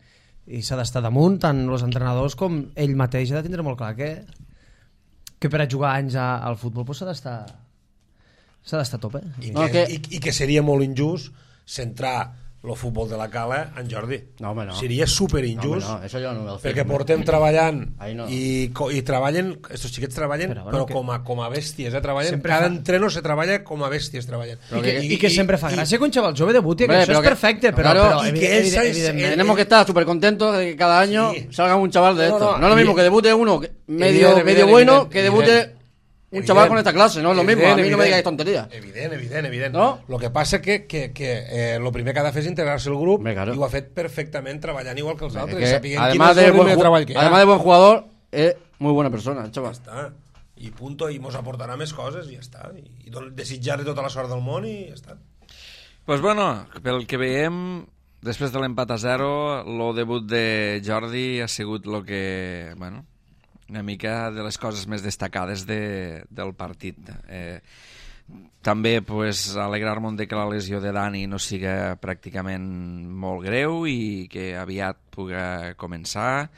I s'ha d'estar damunt, tant els entrenadors com ell mateix ha de tindre molt clar que que per a jugar anys a, al futbol pues, s'ha d'estar s'ha d'estar a tope. I, No, que, que- i, I que seria molt injust centrar el futbol de la Cala en Jordi. No, home, no. Seria super No, injust. hombre, no, eso yo no me lo Perquè firmo. portem treballant Ahí no. i, co- i treballen, estos xiquets treballen Però, però, bueno, que- com, a, com a bèsties, eh? Treballen, Sempre cada fa- entreno se treballa com a bèsties treballen. I que, i que sempre fa gràcia que un xaval jove debuti, que Hombre, això pero és que- perfecte, però, claro, però y evi- que evi- esa es- evidentment... Tenemos que estar súper contentos de que cada año Sí. salga un chaval de No, esto. no, No, es lo mismo evi- que debute uno que- medio, Evidente, medio evidente, bueno evidente, que debute evidente. un chaval Evident. con esta clase, no es lo mismo. Evident, A mí no me evident. digáis tonterías. Evident, evident, evident. No? Lo que passa que, que, que eh, lo primer que ha de fer és integrar-se al grup Hombre, claro. i ho ha fet perfectament treballant igual que els Es altres. que, sapiguent quin además, és de el buen, ritme de ju- treball que hi ha. además de buen jugador, es muy buena persona, el chaval. Està. I punto, i mos aportarà més coses i ja està. I, i don- desitjar-li tota la sort del món i ja està. Pues bueno, pel que veiem, després de l'empat a zero, el debut de Jordi ha sigut lo que, bueno, una mica de les coses més destacades de, del partit. Eh, també pues, alegrar-me de que la lesió de Dani no siga pràcticament molt greu i que aviat pugui començar,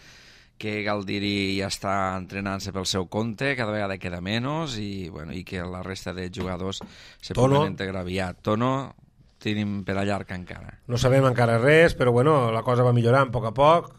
que Galdiri ja està entrenant-se pel seu compte, cada vegada queda menys i, bueno, i que la resta de jugadors se Tono. puguen integrar aviat. Tono tenim per a llarg encara. No sabem encara res, però bueno, la cosa va millorant a poc a poc.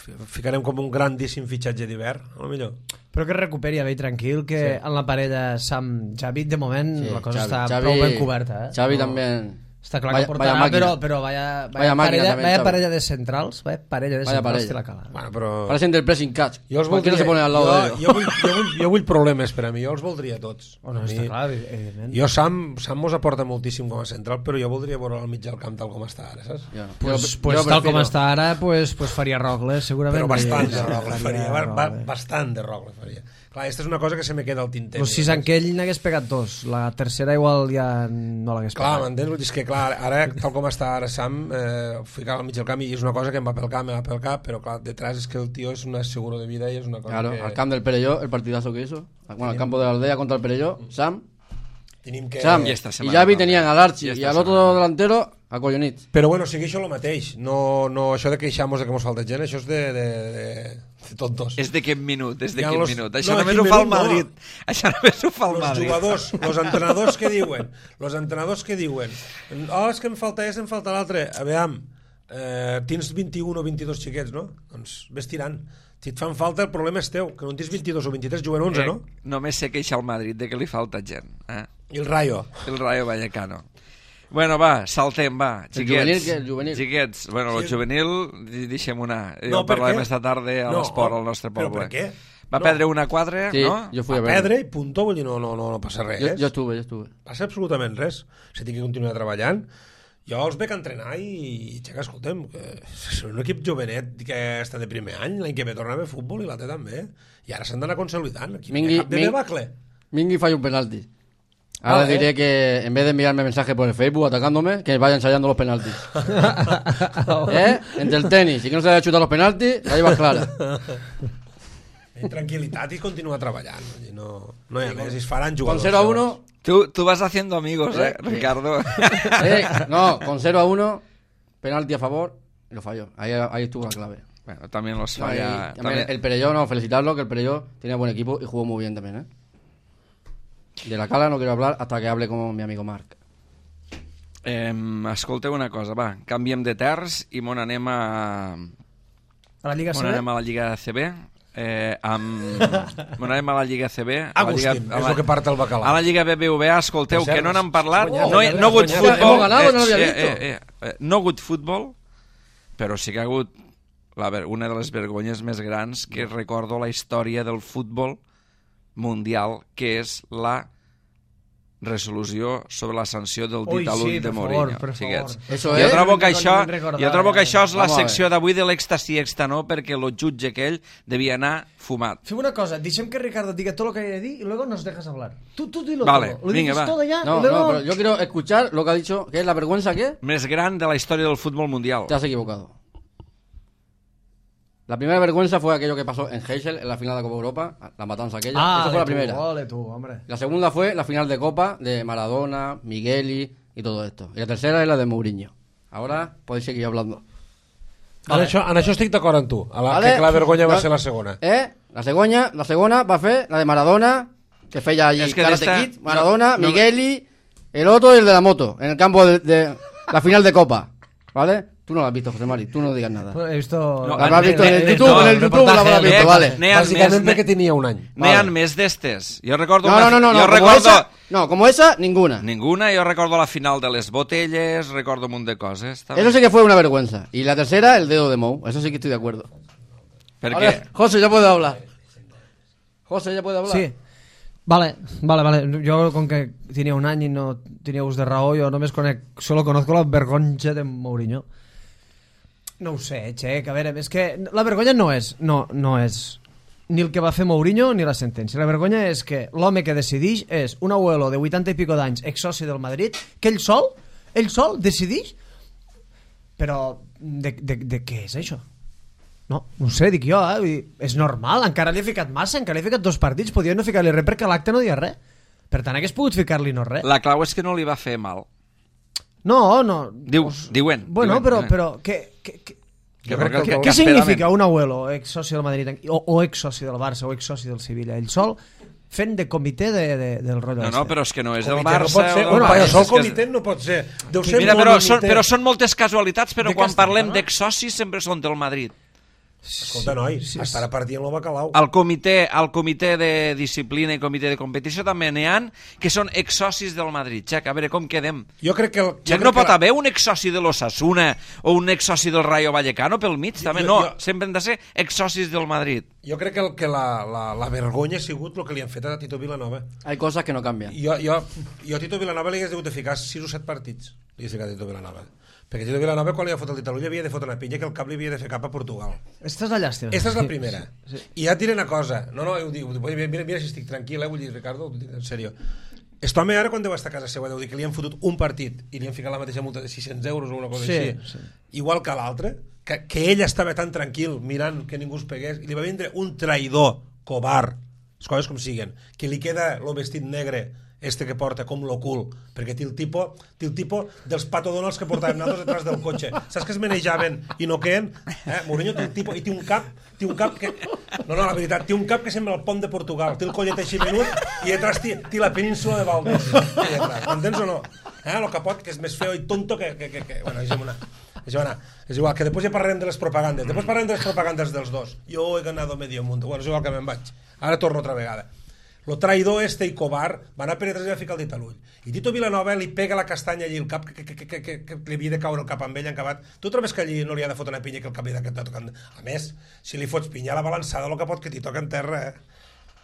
F- Ficarem com un grandíssim fitxatge d'hivern, a lo millor. Però que es recuperi a bé i tranquil, que Sí. en la parella Sam-Javi, de moment, Sí, la cosa Xavi- està Xavi- prou ben coberta. Eh? Xavi No. también. Està clar Vaya- que vaya portarà, máquina. però, però vaya, vaya, Vaya máquina parella, también, vaya Xavi. parella de centrals, vaya parella de Vaya centrals parella. té la Cala. Bueno, però... Parecen del pressing catch. Jo els Cualquiera voldria, se pone al lado jo, de ellos. jo, vull, jo, vull, jo vull problemes per a mi, jo els voldria tots. Oh, no, A mi- està clar, evidentment. Jo, Sam, Sam mos aporta moltíssim com a central, però jo voldria veure al mig del camp tal com està ara, saps? Yo- Pues, yo- pues yo tal com prefiero- està ara, pues, pues faria Rogle, segurament. Però bastant de Faria- Rogle faria faria, ba- ba- Rogle. bastant de Rogle faria. Clar, aquesta és una cosa que se me queda al tinter. Los sis en què ell n'hagués pegat dos. La tercera igual ja no l'hagués Clar, pegat. m'entens? Vull dir, és que clar, ara, tal com està ara Sam, eh, ficar al mig del camp i és una cosa que em va pel cap, me va pel cap, però clar, detrás és que el tio és un seguro de vida i és una cosa Claro, que... al camp del Perelló, el partidazo que hizo. Bueno, al campo de la aldea contra el Perelló, Sam. Tenim que... Sam I y esta setmana Javi també. tenían al Archi I y esta al otro setmana. delantero a Collonit. Però bueno, sigui això el mateix. No, no això de queixar-nos de que mos falta gent, això és de, de, de, tontos. És de quin minut, és de Ja quin los- minut. Això no, només quin ho fa el minut, no. Madrid. Això només ho fa el Los Madrid. jugadors, los entrenadors que diuen, los entrenadors que diuen, oh, és que em falta és, em falta l'altre. A veure, eh, tens vint-i-un o vint-i-dos xiquets, no? Doncs ves tirant. Si et fan falta, el problema és teu, que no en tens vint-i-dos o vint-i-tres, juguen onze, Eh, no? Només sé queixa al Madrid de que li falta gent. Eh? I el Rayo. El Rayo Vallecano. Bueno, va, saltem, va, juvenil, xiquets. què? El juvenil. Xiquets, bueno, el Sí. juvenil, di- deixem-ho anar. No, Jo per parlarem què? esta tarda a No, l'esport al nostre però poble. per què? Va No. perdre una quadra, Sí, no? jo fui a A veure. perdre i punto, vull dir, no, no, no, no passa res. Jo, jo estuve, jo estuve. Passa absolutament res. Si tinc que continuar treballant. Jo els veig entrenar i, xeca, escolta'm, que és un equip jovenet que està de primer any, l'any que ve torna a veure futbol i la té també. I ara s'han d'anar consolidant. Aquí Mingui- Mingui, cap de Ming- debacle. Mingui falla un penalti. Ahora Ah, ¿eh? diré que en vez de enviarme mensajes por el Facebook atacándome, que vaya ensayando los penaltis. ¿Eh? Entre el tenis y que no se haya chutado los penaltis, la llevas clara. En tranquil·litat i continua treballant. Vull dir, No, no hi ha més, i es faran Con jugadors. cero a uno, Tu, tu vas haciendo amigos, eh, Eh, Ricardo. eh, no, con cero a uno, penalti a favor, y lo falló. Ahí, ahí estuvo la clave. Bueno, también los Ahí, falla... también también- El Perelló, no, felicitarlo, que el Perelló tenía buen equipo y jugó muy bien también, ¿eh? De la Cala no quiero hablar hasta que hable con mi amigo Marc. Eh, escolteu una cosa, va, canviem de terç i mon anem a... A la Lliga Mon C B? anem a la Lliga C B. Eh, amb... Mon anem a la Lliga C B. A la Lliga, Agustín, a és la, el que parta el bacalà. a la Lliga B B V A, escolteu, Per cert, que no n'han parlat. has guanyat, No, ja he- no ha hagut has futbol. guanyat. Hemos ganado, no lo había eh, visto. eh, eh, eh, no ha hagut futbol, però sí que ha hagut la, ver- una de les vergonyes més grans que recordo a la història del futbol mundial, que és la resolució sobre la sanció del Ui, dit a l'ull sí, de per Mourinho. favor, per xiquets. favor. Eso Jo es. trobo que No això, me'n recordava, jo trobo que ja. això és la Vamos a ver. secció d'avui de l'èxtasi extanó, perquè el jutge aquell devia anar fumat. Fem una cosa, deixem que Ricardo diga todo lo que hay de dir y luego nos dejas hablar. Tú, tú dilo Vale, todo. Lo venga, dices va. todo ya No, y luego... no, pero yo quiero escuchar lo que ha dicho, que es la vergüenza que Més gran de la història del futbol mundial. te has equivocado. La primera vergüenza fue aquello que pasó en Heysel, en la final de Copa Europa, la matanza aquella. Ah, Esa fue la tú, primera. ole tú, hombre. La segunda fue la final de Copa de Maradona, Migueli y todo esto. Y la tercera es la de Mourinho. Ahora podéis seguir hablando. En, això, en això estic d'acord amb tu. A la, Vale. que la vergonya va No. ser la segona. ¿Eh? La segunda, la segunda va a ser la de Maradona, que fue ya allí Es que Karate d'esta- Kid, Maradona, no- no- Migueli, el otro y el de la moto, en el campo de, de la final de Copa. ¿Vale? Tú no la has visto, José Mari, tú no digas nada. He visto... No, La habrás visto en el eh, YouTube, no, en el el YouTube la habrás reportaje, visto, eh, vale. n'hi ha Bàsicament més, perquè tenia un any. N'hi ha Vale. més d'estes. Jo recordo... No, una- no, no, no, jo como recordo... esa, no, como esa, ninguna. Ninguna, jo recordo la final de les botelles, recordo un munt de coses. també. Eso sí que fue una vergüenza. Y la tercera, el dedo de Mou. Eso sí que estoy de acuerdo. Perquè... Ahora, José ya puede hablar. José ya puede hablar. Sí. Vale, vale, vale. Yo con que tenía un año y no tenía us de raó, yo no me conec, solo conozco la vergonxa de Mourinho. No ho sé, Xec, a veure, és que la vergonya no és, no, no és ni el que va fer Mourinho ni la sentència. La vergonya és que l'home que decideix és un abuelo de vuitanta i pico d'anys, exsoci del Madrid, que ell sol, ell sol decideix, però de, de, de què és això? No, no ho sé, dic jo, eh? Vull dir, és normal, encara li he ficat massa, encara li he ficat dos partits, podia no ficar-li res perquè l'acte no dia res. Per tant, hagués pogut ficar-li no res. La clau és que no li va fer mal. No, no... Diu, diuen. Bueno, diuen, però, diuen. però què, què, què, Jo què, crec que el què, que què esperaven- significa un abuelo, ex-soci del Madrid, o, o ex-soci del Barça, o ex-soci del Sevilla? Ell sol fent de comitè de, de, del rotllo No, este. no, però és que no és el Comitè Barça... no pot ser, o del un Barça, paio Barça, sol és que és- comitè no pot ser. Deu ser Mira, però monomitè. són, però són moltes casualitats, però De quan què estem parlem parlant? d'exsocis sempre són del Madrid. Escolta, noi, Sí, sí, estarà partint el bacalao. Al comitè, al comitè de disciplina i comitè de competició també n'hi ha que són exsocis del Madrid. Xec, a veure com quedem. Jo crec que... El, jo Xec, crec no pot que la- haver un exsoci de l'Osasuna o un exsoci del Rayo Vallecano pel mig, també jo- no. jo- Sempre han de ser exsocis del Madrid. Jo crec que, el, que la, la, la vergonya ha sigut el que li han fet a Tito Vilanova. Hay cosas que no cambian. Jo, jo, jo a Tito Vilanova li hagués hagut de ficar sis o set partits. Li hagués ficat a Tito Vilanova. Perquè Tito Vilanova, quan li ha fotut el dit a l'ull, havia de fotre una pinya que el cap li havia de fer cap a Portugal. Esta és la llàstima. Esta és la primera. Sí, sí. I ja et diré una cosa. No, no, ho dic, ho dic, mira, mira, mira si estic tranquil, eh, vull dir, Ricardo, ho dic en sèrio. Este home ara, quan deu estar a casa seva, deu dir que li han fotut un partit i li han ficat la mateixa multa de sis-cents euros o una cosa Sí, així. sí. Igual que l'altre, que, que ell estava tan tranquil mirant que ningú es pegués, i li va vindre un traïdor, covard, les coses com siguen, que li queda el vestit negre este que porta com lo cul, perquè té el tipus, té el tipus dels patodonals que portàvem nosaltres detrás del cotxe. Saps que es manejaven i no queden? Eh? Mourinho té el tipus, i té un cap, té un cap que... No, no, la veritat, té un cap que sembla el pont de Portugal, té el collet així menut i detrás té, té la península de Valdés. M'entens o no? Eh? El capot, que és més feo i tonto que... que, que, que... Bueno, deixem una... Deixem una... És igual, que després ja parlarem de les propagandes. Després parlarem de les propagandes dels dos. Jo he ganado medio mundo. Bueno, és igual que me'n vaig. Ara torno altra vegada. Lo traïdor este i covard va anar a Pere Tres i va ficar el dit a l'ull. I Tito Vilanova li pega la castanya allí al cap, que, que, que, que, que, que li havia de caure el cap amb ell encabat. Tu trobes que allí no li ha de fotre una pinya que el cap li ha de tocar... A més, si li fots pinya a la balançada, el capot que t'hi toca en terra, eh?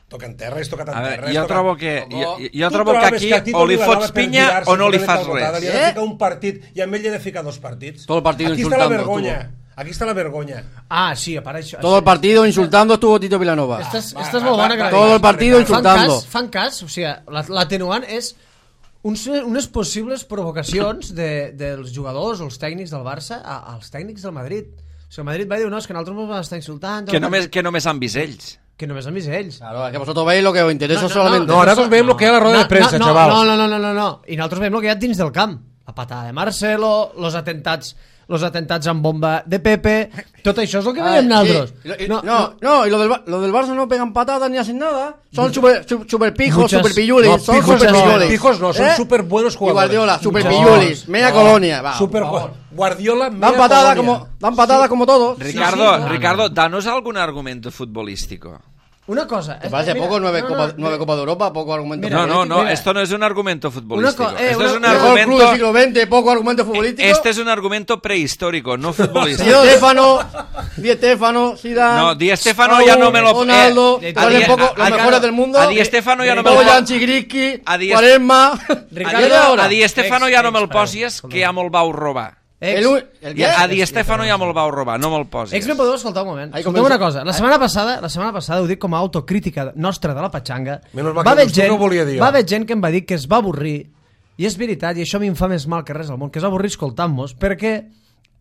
Toca en terra, és tocat en veure, terra. jo tocat... trobo que, jo, jo Tu trobo que trobes aquí que a Tito o li Vilanova fots per pinya girar-se o no li posant fas tal botada, res. Li ha de ficar un partit i amb ell li ha de ficar dos partits. Todo el partido Aquí está la insultando, vergonya. estuvo. Aquí está la vergonya. Ah, sí, a part això... Todo el partido insultando estuvo Tito Vilanova. Esta és, Va, esta és va, molt va, bona que va, la Todo diguis. el partido Fan insultando. cas, fan cas, o sigui, la- l'atenuant és uns, unes possibles provocacions de, dels jugadors o els tècnics del Barça a, als tècnics del Madrid. O sigui, el Madrid va dir, no, és que nosaltres ens vam estar insultant... Que només, que només han vist ells. Que només han vist ells. Claro, es que vosotros veis lo que os interesa No, no, solamente. No, ara nosotros veiem lo que hi ha a la roda de premsa, no, xavals. No, no, no, no, no, no. I nosaltres veiem el que hi ha dins del camp. La patada de Marcelo, los atentats, los atentats amb bomba de Pepe, tot això és el que Ah, veiem sí. nosaltres. Y lo- y- no, no, y lo del, Ba- lo del Barça no pegan patadas ni hacen nada. Son super, su- super pijos, Muchas- super pillulis. No, son pijos super no, pillulis. pijos no, son ¿Eh? súper buenos Y jugadores. Guardiola, super No, pillulis, media no. colonia. Va, Super por favor. Guardiola, Dan media patada colonia. como, dan patada como todos. Ricardo, sí, no, Ricardo, danos algún argumento futbolístico. Una cosa... ¿Te parece mira, poco nueve, no, Copa, no, nueve Copa de Europa? Poco argumento Mira, No, no, no, mira. esto no es un argumento futbolístico. Una co- eh, esto una- es un una- Mejor club del argumento... siglo veinte, poco argumento futbolístico. Este es un argumento prehistórico, no Di futbolístico. Stefano, Di Stefano, Zidane. No, Di Stefano ya no me lo- Ronaldo, eh, valen a Di- poco, los a- mejores del mundo. a Di Stefano ya no me lo- Bojan Chigriski, a Di- Quaresma. Ricardo, A Di Stefano ex- ja no me'l ex- posis, que ja me'l vau robar. Ex, El, u- el Ja, a qué? Di Stefano ja me'l vau robar, no me'l posis. ex me podeu escoltar un moment. Ahí Escolteu comença. una cosa. La setmana passada, la setmana passada ho dic com a autocrítica nostra de la petxanga. Menys mal Va que haver doncs tu gent, no ho volia dir jo. va haver gent que em va dir que es va avorrir, i és veritat, i això a mi em fa més mal que res al món, que es va avorrir escoltant-nos, perquè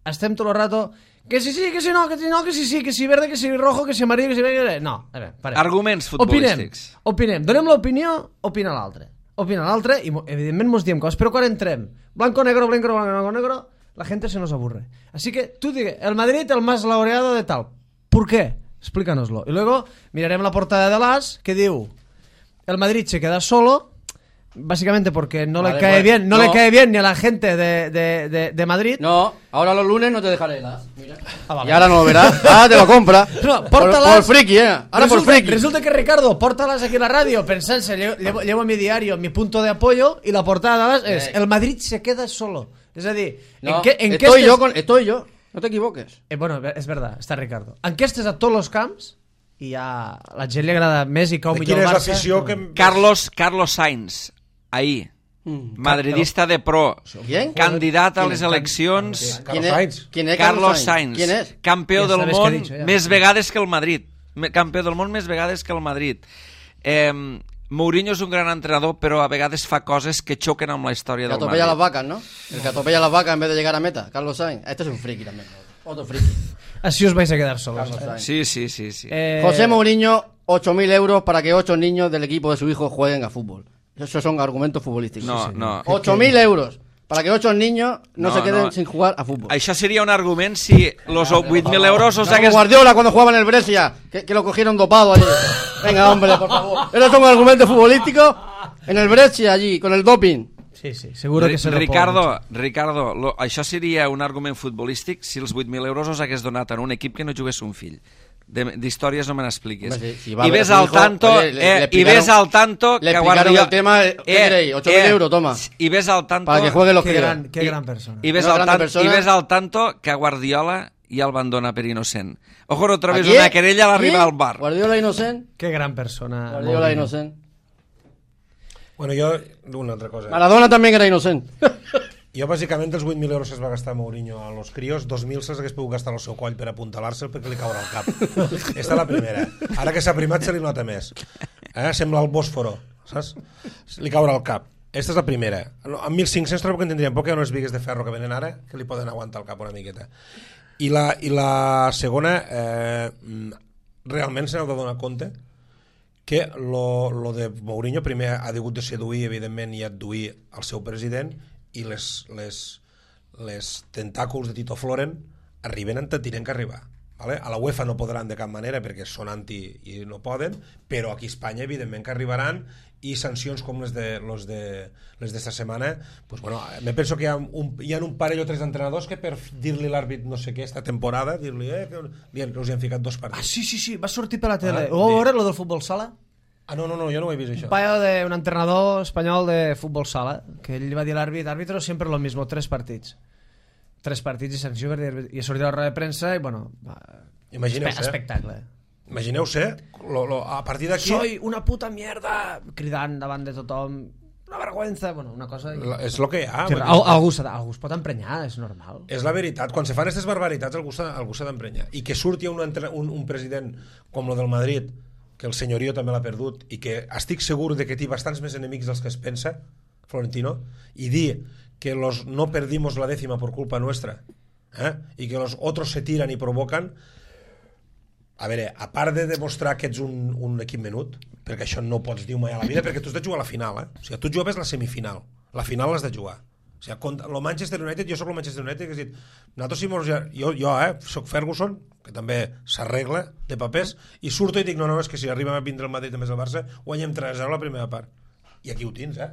estem tot el rato que si sí, que si no, que si no, que si sí, que si verde, que si rojo, que si amarillo, que si... No, a veure, parem. Arguments Opinem, futbolístics. opinem, donem l'opinió, opina l'altre. Opina l'altre i mo- evidentment mos diem coses, però quan entrem blanco-negro, blanco-negro, blanco-negro, la gente se nos aburre. Así que tú digue, el Madrid el más laureado de tal. ¿Por qué? Explícanoslo. Y luego miraremos la portada de l'As que diu el Madrid se queda solo básicamente porque no Vale, le cae pues, bien, no, no. le cae bien ni a la gente de, de, de, de Madrid. No, ahora los lunes no te dejaré las. Mira. Ah, vale. Y ahora no lo verás. Ahora te lo compra. No, por, pórtalas. por friki, eh. Ahora resulta, por friki. resulta que Ricardo, pórtalas aquí en la radio, pensándose, llevo, llevo, llevo mi diario, mi punto de apoyo, y la portada es Eh. el Madrid se queda solo. Es decir, No, ¿en qué, en qué estoy estés- yo con, estoy yo. No te equivoques. Eh, bueno, és verdad, està Ricardo. Enquestes a tots els camps i a la gent li agrada més i cau De millor quina el és Barça. l'afició que... Carlos, Carlos Sainz, ahir, Mm. madridista de pro, ¿Quién? candidat a ¿Quién les es? eleccions, ¿Quién Carlos es? Sainz. ¿Quién es Carlos Sainz, ¿Quién es? campió Ja del sabes què món he dicho, ja. més vegades que el Madrid. Me- Campió del món més vegades que el Madrid. Eh, Mourinho és un gran entrenador, però a vegades fa coses que xoquen amb la història Que del atropella las Madrid. vacas, ¿no? El que atropella las vacas en vez de llegar a meta. Carlos Sainz. Este es un friki también. Otro friki. Així us vais a quedar solos. Carlos Eh? Sainz. Sí, sí, sí, sí. Eh, José Mourinho, ocho mil euros para que ocho niños del equipo de su hijo jueguen a fútbol. Esos son argumentos futbolísticos. No, no. ocho mil euros para que ocho niños no, No, se queden no. sin jugar a fútbol. Això seria un argument si los vuit mil euros os Como hagués... Guardiola cuando jugaba en el Brescia, que, que lo cogieron dopado allí. Venga, hombre, por favor. Esos son argumentos futbolísticos en el Brescia allí, con el doping. Sí, sí, seguro que se lo Ricardo, Ricardo lo, això seria un argument futbolístic si els vuit mil euros os hagués donat en un equip que no jugués un fill. De- D'històries no me n'expliquis. Hombre, si- si va a I ver ves a su al hijo, tanto, oye, le- eh, le i ves explicaron- al tanto le que explicaron Guardiola... el tema, ¿qué queréis? ocho mil euros, toma. I ves al tanto... Para que jueguen los Qué críos. gran, qué I- gran persona. I ves, Una al grande tan, persona. I ves al tanto que a Guardiola ja el van donar per innocent. Ojo, otra vez ¿A quién? una querella a l'arribar ¿Quién? al bar. Guardiola inocente. Qué gran persona. Guardiola Mourinho. inocente. Bueno, jo... Una altra cosa. Maradona también era inocente. Jo, bàsicament, els vuit mil euros que es va gastar Mourinho a los crios, dos mil se'ls hagués pogut gastar al seu coll per apuntalar-se'l perquè li caurà al cap. Esta és la primera. Ara que s'ha primat se li nota més. Eh? Sembla el Bòsforo, saps? Li caurà al cap. Esta és la primera. No, amb mil cinc-cents trobo que en tindríem poc, hi ha unes bigues de ferro que venen ara que li poden aguantar el cap una miqueta. I la, i la segona, eh, realment se n'heu de donar compte que lo, lo de Mourinho primer ha hagut de seduir, evidentment, i adduir el seu president, i les, les, les tentàculs de Tito Floren arriben on tenen que arribar. Vale? A la UEFA no podran de cap manera perquè són anti i no poden, però aquí a Espanya evidentment que arribaran, i sancions com les de les de les d'esta setmana, pues bueno, me penso que hi ha un, hi ha un parell o tres d'entrenadors que per dir-li l'àrbit no sé què esta temporada, dir-li eh, que, li han, que us hi han ficat dos partits. Ah, sí, sí, sí, va sortir per la tele. Ah, Ho vau sí. veure, lo del futbol sala? Ah, no, no, no, jo no ho he vist això. Un paio de un entrenador espanyol de futbol sala, que ell va dir a l'àrbit, árbitro siempre lo mismo, tres partits. Tres partits i sanció, i ha sortit a la roda de premsa i, bueno, Imagineu-se. espectacle. Imagineu-se, lo, lo, a partir d'aquí... Soy una puta mierda, cridant davant de tothom, una vergüenza, bueno, una cosa... La, és el que hi ha. Sí, vull dir, al, algú, s'ha de- algú es pot emprenyar, és normal. és la veritat, quan se fan aquestes barbaritats algú s'ha algú s'ha d'emprenyar, i que surti un, entre- un, un president com lo del Madrid, que el senyorio també l'ha perdut, i que estic segur de que té bastants més enemics dels que es pensa, Florentino, i dir que los no perdimos la décima por culpa nuestra, ¿eh? Y que los otros se tiran y provocan. A veure, a part de demostrar que ets un, un equip menut, perquè això no pots dir mai a la vida, perquè tu has de jugar a la final, eh? O sigui, tu jugaves la semifinal, la final l'has de jugar. O sigui, contra el Manchester United, jo sóc el Manchester United, que has dit, nosaltres si mos, jo, jo eh, soc Ferguson, que també s'arregla de papers, i surto i dic, no, no, és que si arribem a vindre el Madrid també és el Barça, guanyem tres a zero la primera part. I aquí ho tens, eh?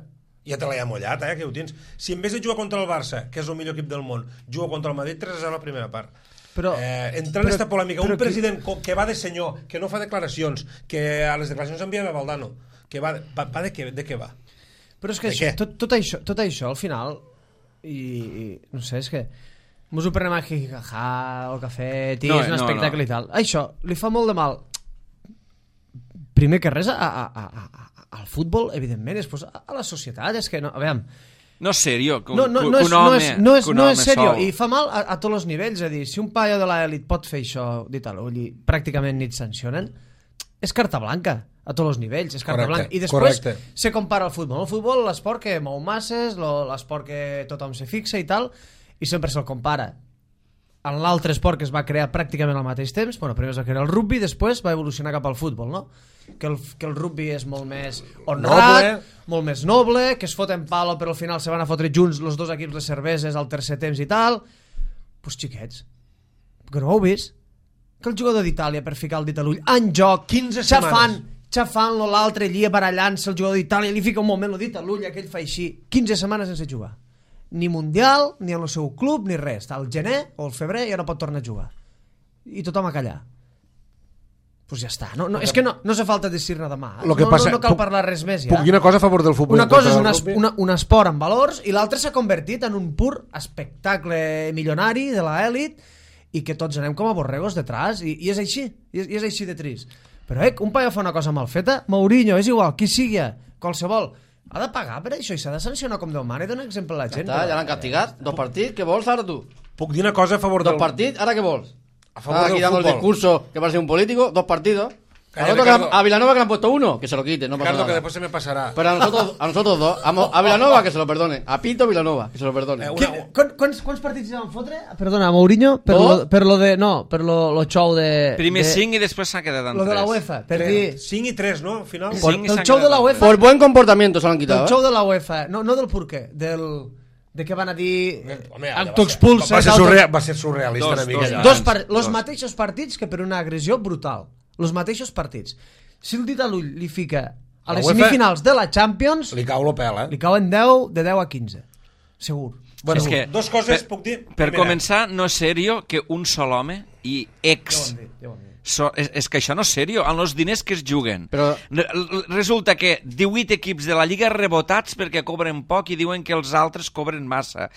Ja te l'he amollat, eh? Aquí ho tens. Si en vez de jugar contra el Barça, que és el millor equip del món, juga contra el Madrid, tres a zero la primera part. Però, eh, entra en aquesta polèmica, un però president que... que va de senyor, que no fa declaracions, que a les declaracions envia a Valdano, que va, va, va de, què, de què va? Però és que De això, què? tot, tot, això, tot això, al final, i, i no sé, és que mos ho prenem a jijaja, el cafè, tis, No, no, un no, espectacle no. i tal. Això li fa molt de mal, primer que res, a, a, a, a, al futbol, evidentment, després a, a la societat, és que no, a veure, No és serio que un, no, no, que no, un és, no, home, és, no, és, que un no home és serio, sol. i fa mal a, a tots els nivells, és a dir, si un paio de l'elit pot fer això, dit a l'ull, i pràcticament ni et sancionen, és carta blanca a tots els nivells, és carta Correcte, blanca. I després correcte. se compara al futbol. El futbol, l'esport que mou masses, lo- l'esport que tothom se fixa i tal, i sempre se'l compara en l'altre esport que es va crear pràcticament al mateix temps. Bueno, primer es va crear el rugby, després va evolucionar cap al futbol, no? Que el, que el rugby és molt més honrat, Noble. molt més noble, que es foten palo però al final se van a fotre junts els dos equips de cerveses al tercer temps i tal. Pues xiquets, que no ho heu vist? Que el jugador d'Itàlia per ficar el dit a l'ull en joc, quinze xafant, setmanes. xafant-lo l'altre allí barallant-se el jugador d'Itàlia, li fica un moment el dit a l'ull, aquell fa així, quinze setmanes sense jugar, ni mundial ni en el seu club ni res, està al gener o al febrer ja no pot tornar a jugar i tothom a callar. Pues ja està, no, no, és que no, no se falta dir nada más, Lo que no, passa- no, no cal puc- parlar res més ja. Puc dir una cosa a favor del futbol. Una cosa és contra un, el es, rugby? una, un esport amb valors i l'altre s'ha convertit en un pur espectacle milionari de l'elit i que tots anem com a borregos detrás i, i és així, i és, i és així de trist. Però eh, un paio fa una cosa mal feta, Mourinho, és igual, qui sigui, qualsevol, ha de pagar per això i s'ha de sancionar com Déu mana i donar exemple a la Ja gent. està, però- ja l'han castigat. Dos partits, què vols ara tu? Puc dir una cosa a favor Dos del... partits, ¿ahora qué vols? A favor Ahora aquí del dando el fútbol. discurso que parece un político, dos partidos. Calla, Al otro que Ricardo. le- a Vilanova que le han puesto uno, que se lo quite, no pasa Ricardo, que nada. después se me pasará. Pero a nosotros, a nosotros dos, a, Mo- a Vilanova que se lo perdone, a Pinto Vilanova que se lo perdone. Eh, Qui, una- quan, quants, quants partits van fotre? Perdona, Mourinho, per, Dos? lo, per lo de... No, per lo, lo show de... Primer de, cinc i després s'ha quedat en Lo de la tres. UEFA, per Tres. dir... cinc i tres, no? Al final. Sí. Por, Cinc i del s'han show de quedat la en UEFA... Por buen comportamiento se lo han Del quitado. ¿eh? show de la UEFA, no, no del porqué, del... de què van a dir... Home, allò va T'ho ser- expulses... Va ser, auto- surreal, va ser surrealista Dos, una mica. dos. allò. Dos par los Dos. mateixos partits que per una agressió brutal. Los mateixos partits. Si el dit a l'ull li fica a La les UEFA semifinals de la Champions, Li cau lo pèl, eh? li cauen deu, de deu a quinze. Segur. Bueno, és Segur. que, Dos coses per, puc dir. Per Primera. començar, no és serio que un sol home i Ja ho ex... han dit, ja ho han dit. So, és, és que això no és serio, amb els diners que es juguen. Però- Re- Resulta que divuit equips de la Lliga rebotats perquè cobren poc i diuen que els altres cobren massa.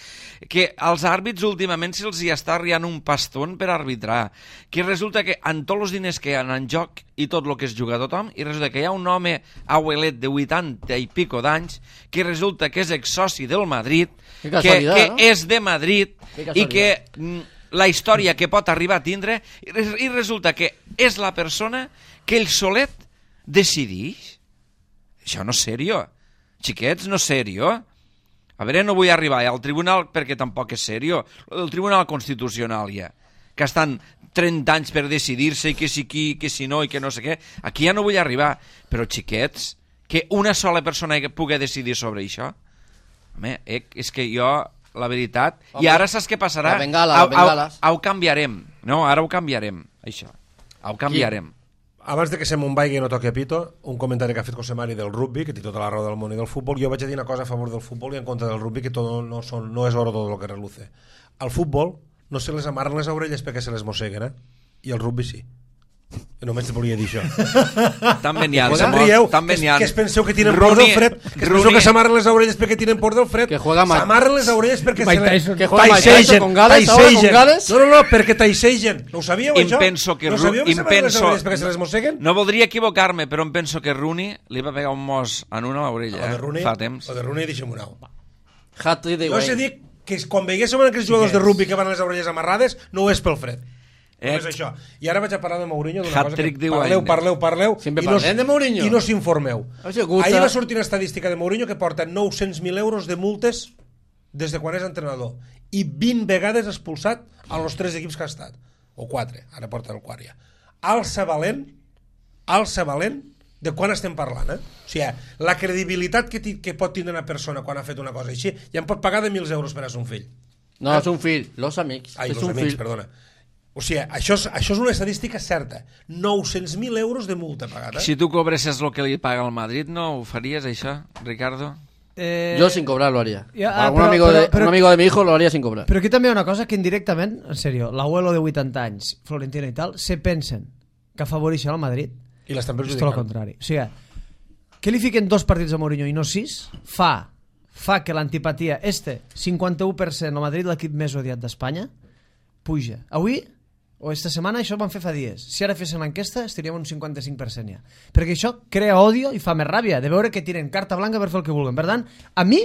Que als àrbits últimament se'ls hi està arriant un pastón per arbitrar. Que resulta que amb tots els diners que hi ha en joc i tot el que es juga a tothom, i resulta que hi ha un home abuelet de vuitanta i pico d'anys que resulta que és exsoci del Madrid, Que que, casualitat, que no? és de Madrid Que i casualitat. que mm, la història que pot arribar a tindre i res- i resulta que és la persona que ell solet decideix. Això no és serio. Xiquets, no és serio. A veure, no vull arribar al tribunal perquè tampoc és serio. El Tribunal Constitucional ja, que estan trenta anys per decidir-se i que si qui, que si no i que no sé què. Aquí ja no vull arribar, però xiquets, que una sola persona pugui decidir sobre això, home, eh, és que jo, la veritat, home, i ara saps què passarà? La bengala, la bengala. Ho, ho canviarem, no? Ara ho canviarem, això. Ho canviarem. Abans de que se me'n vagi i no toqui a pito, un comentari que ha fet José Mari del rugby, que té tota la raó del món i del futbol. Jo vaig a dir una cosa a favor del futbol i en contra del rugby, que todo no, son, no es oro todo lo que reluce. Al futbol no se les amarren les orelles perquè se les mosseguen, eh? I el rugby sí. Només te volia dir això. També n'hi ha. Pues em rieu, també que, n'hi ha. que es penseu que tenen por del fred, que es penseu que s'amarren les orelles perquè tenen por del fred. S'amarren les orelles perquè se les que juega taisegen, con Gales, ahora con Gales. No, no, no, perquè taisegen. No ho sabíeu, em això? Penso que no sabíeu que s'amarren les orelles perquè se les no, mosseguen? no voldria equivocar-me, però em penso que Rooney li va pegar un mos en una orella, eh? Rooney, fa temps. O de Rooney, deixem-ho anar. Hat-trick de Jo us he dit que quan veiguéssim aquells jugadors de rugby que van les orelles amarrades, no ho és pel fred. No és això. I ara vaig a parlar de Mourinho d'una cosa que parleu, parleu, parleu Sempre i no, parlem de Mourinho. I no s'informeu. Ahir va sortir una estadística de Mourinho que porta nou-cents mil euros de multes des de quan és entrenador i vint vegades expulsat a los tres equips que ha estat. O quatre, ara porta el quart ja. Alça valent, alça valent de quan estem parlant, eh? O sigui, la credibilitat que, que pot tindre una persona quan ha fet una cosa així, ja em pot pagar de mil euros per a son fill. No, eh? És un fill, los amics. Ai, és los un amics, fill. perdona. O sigui, això és, això és una estadística certa. nou-cents mil euros de multa pagat, eh? Si tu cobresses el que li paga el Madrid, no ho faries, això, Ricardo? Eh... Yo sin cobrar lo haría. Ja, ah, Algún però, amigo, però, de, però, un amigo de mi hijo lo haría sin cobrar. Però aquí també hi ha una cosa que indirectament, en sèrio, l'abuelo de vuitanta anys, Florentino i tal, se pensen que afavoreixen el Madrid. I l'estan perjudicant. És tot el contrari. O sigui, que li fiquen dos partits a Mourinho i no sis, fa, fa que l'antipatia, este, cinquanta-u per cent el Madrid, l'equip més odiat d'Espanya, puja. Avui, o esta setmana, això ho van fer fa dies. Si ara féssim l'enquesta, estaríem un cinquanta-cinc per cent ja. Perquè això crea odio i fa més ràbia de veure que tiren carta blanca per fer el que vulguen. Per tant, a mi,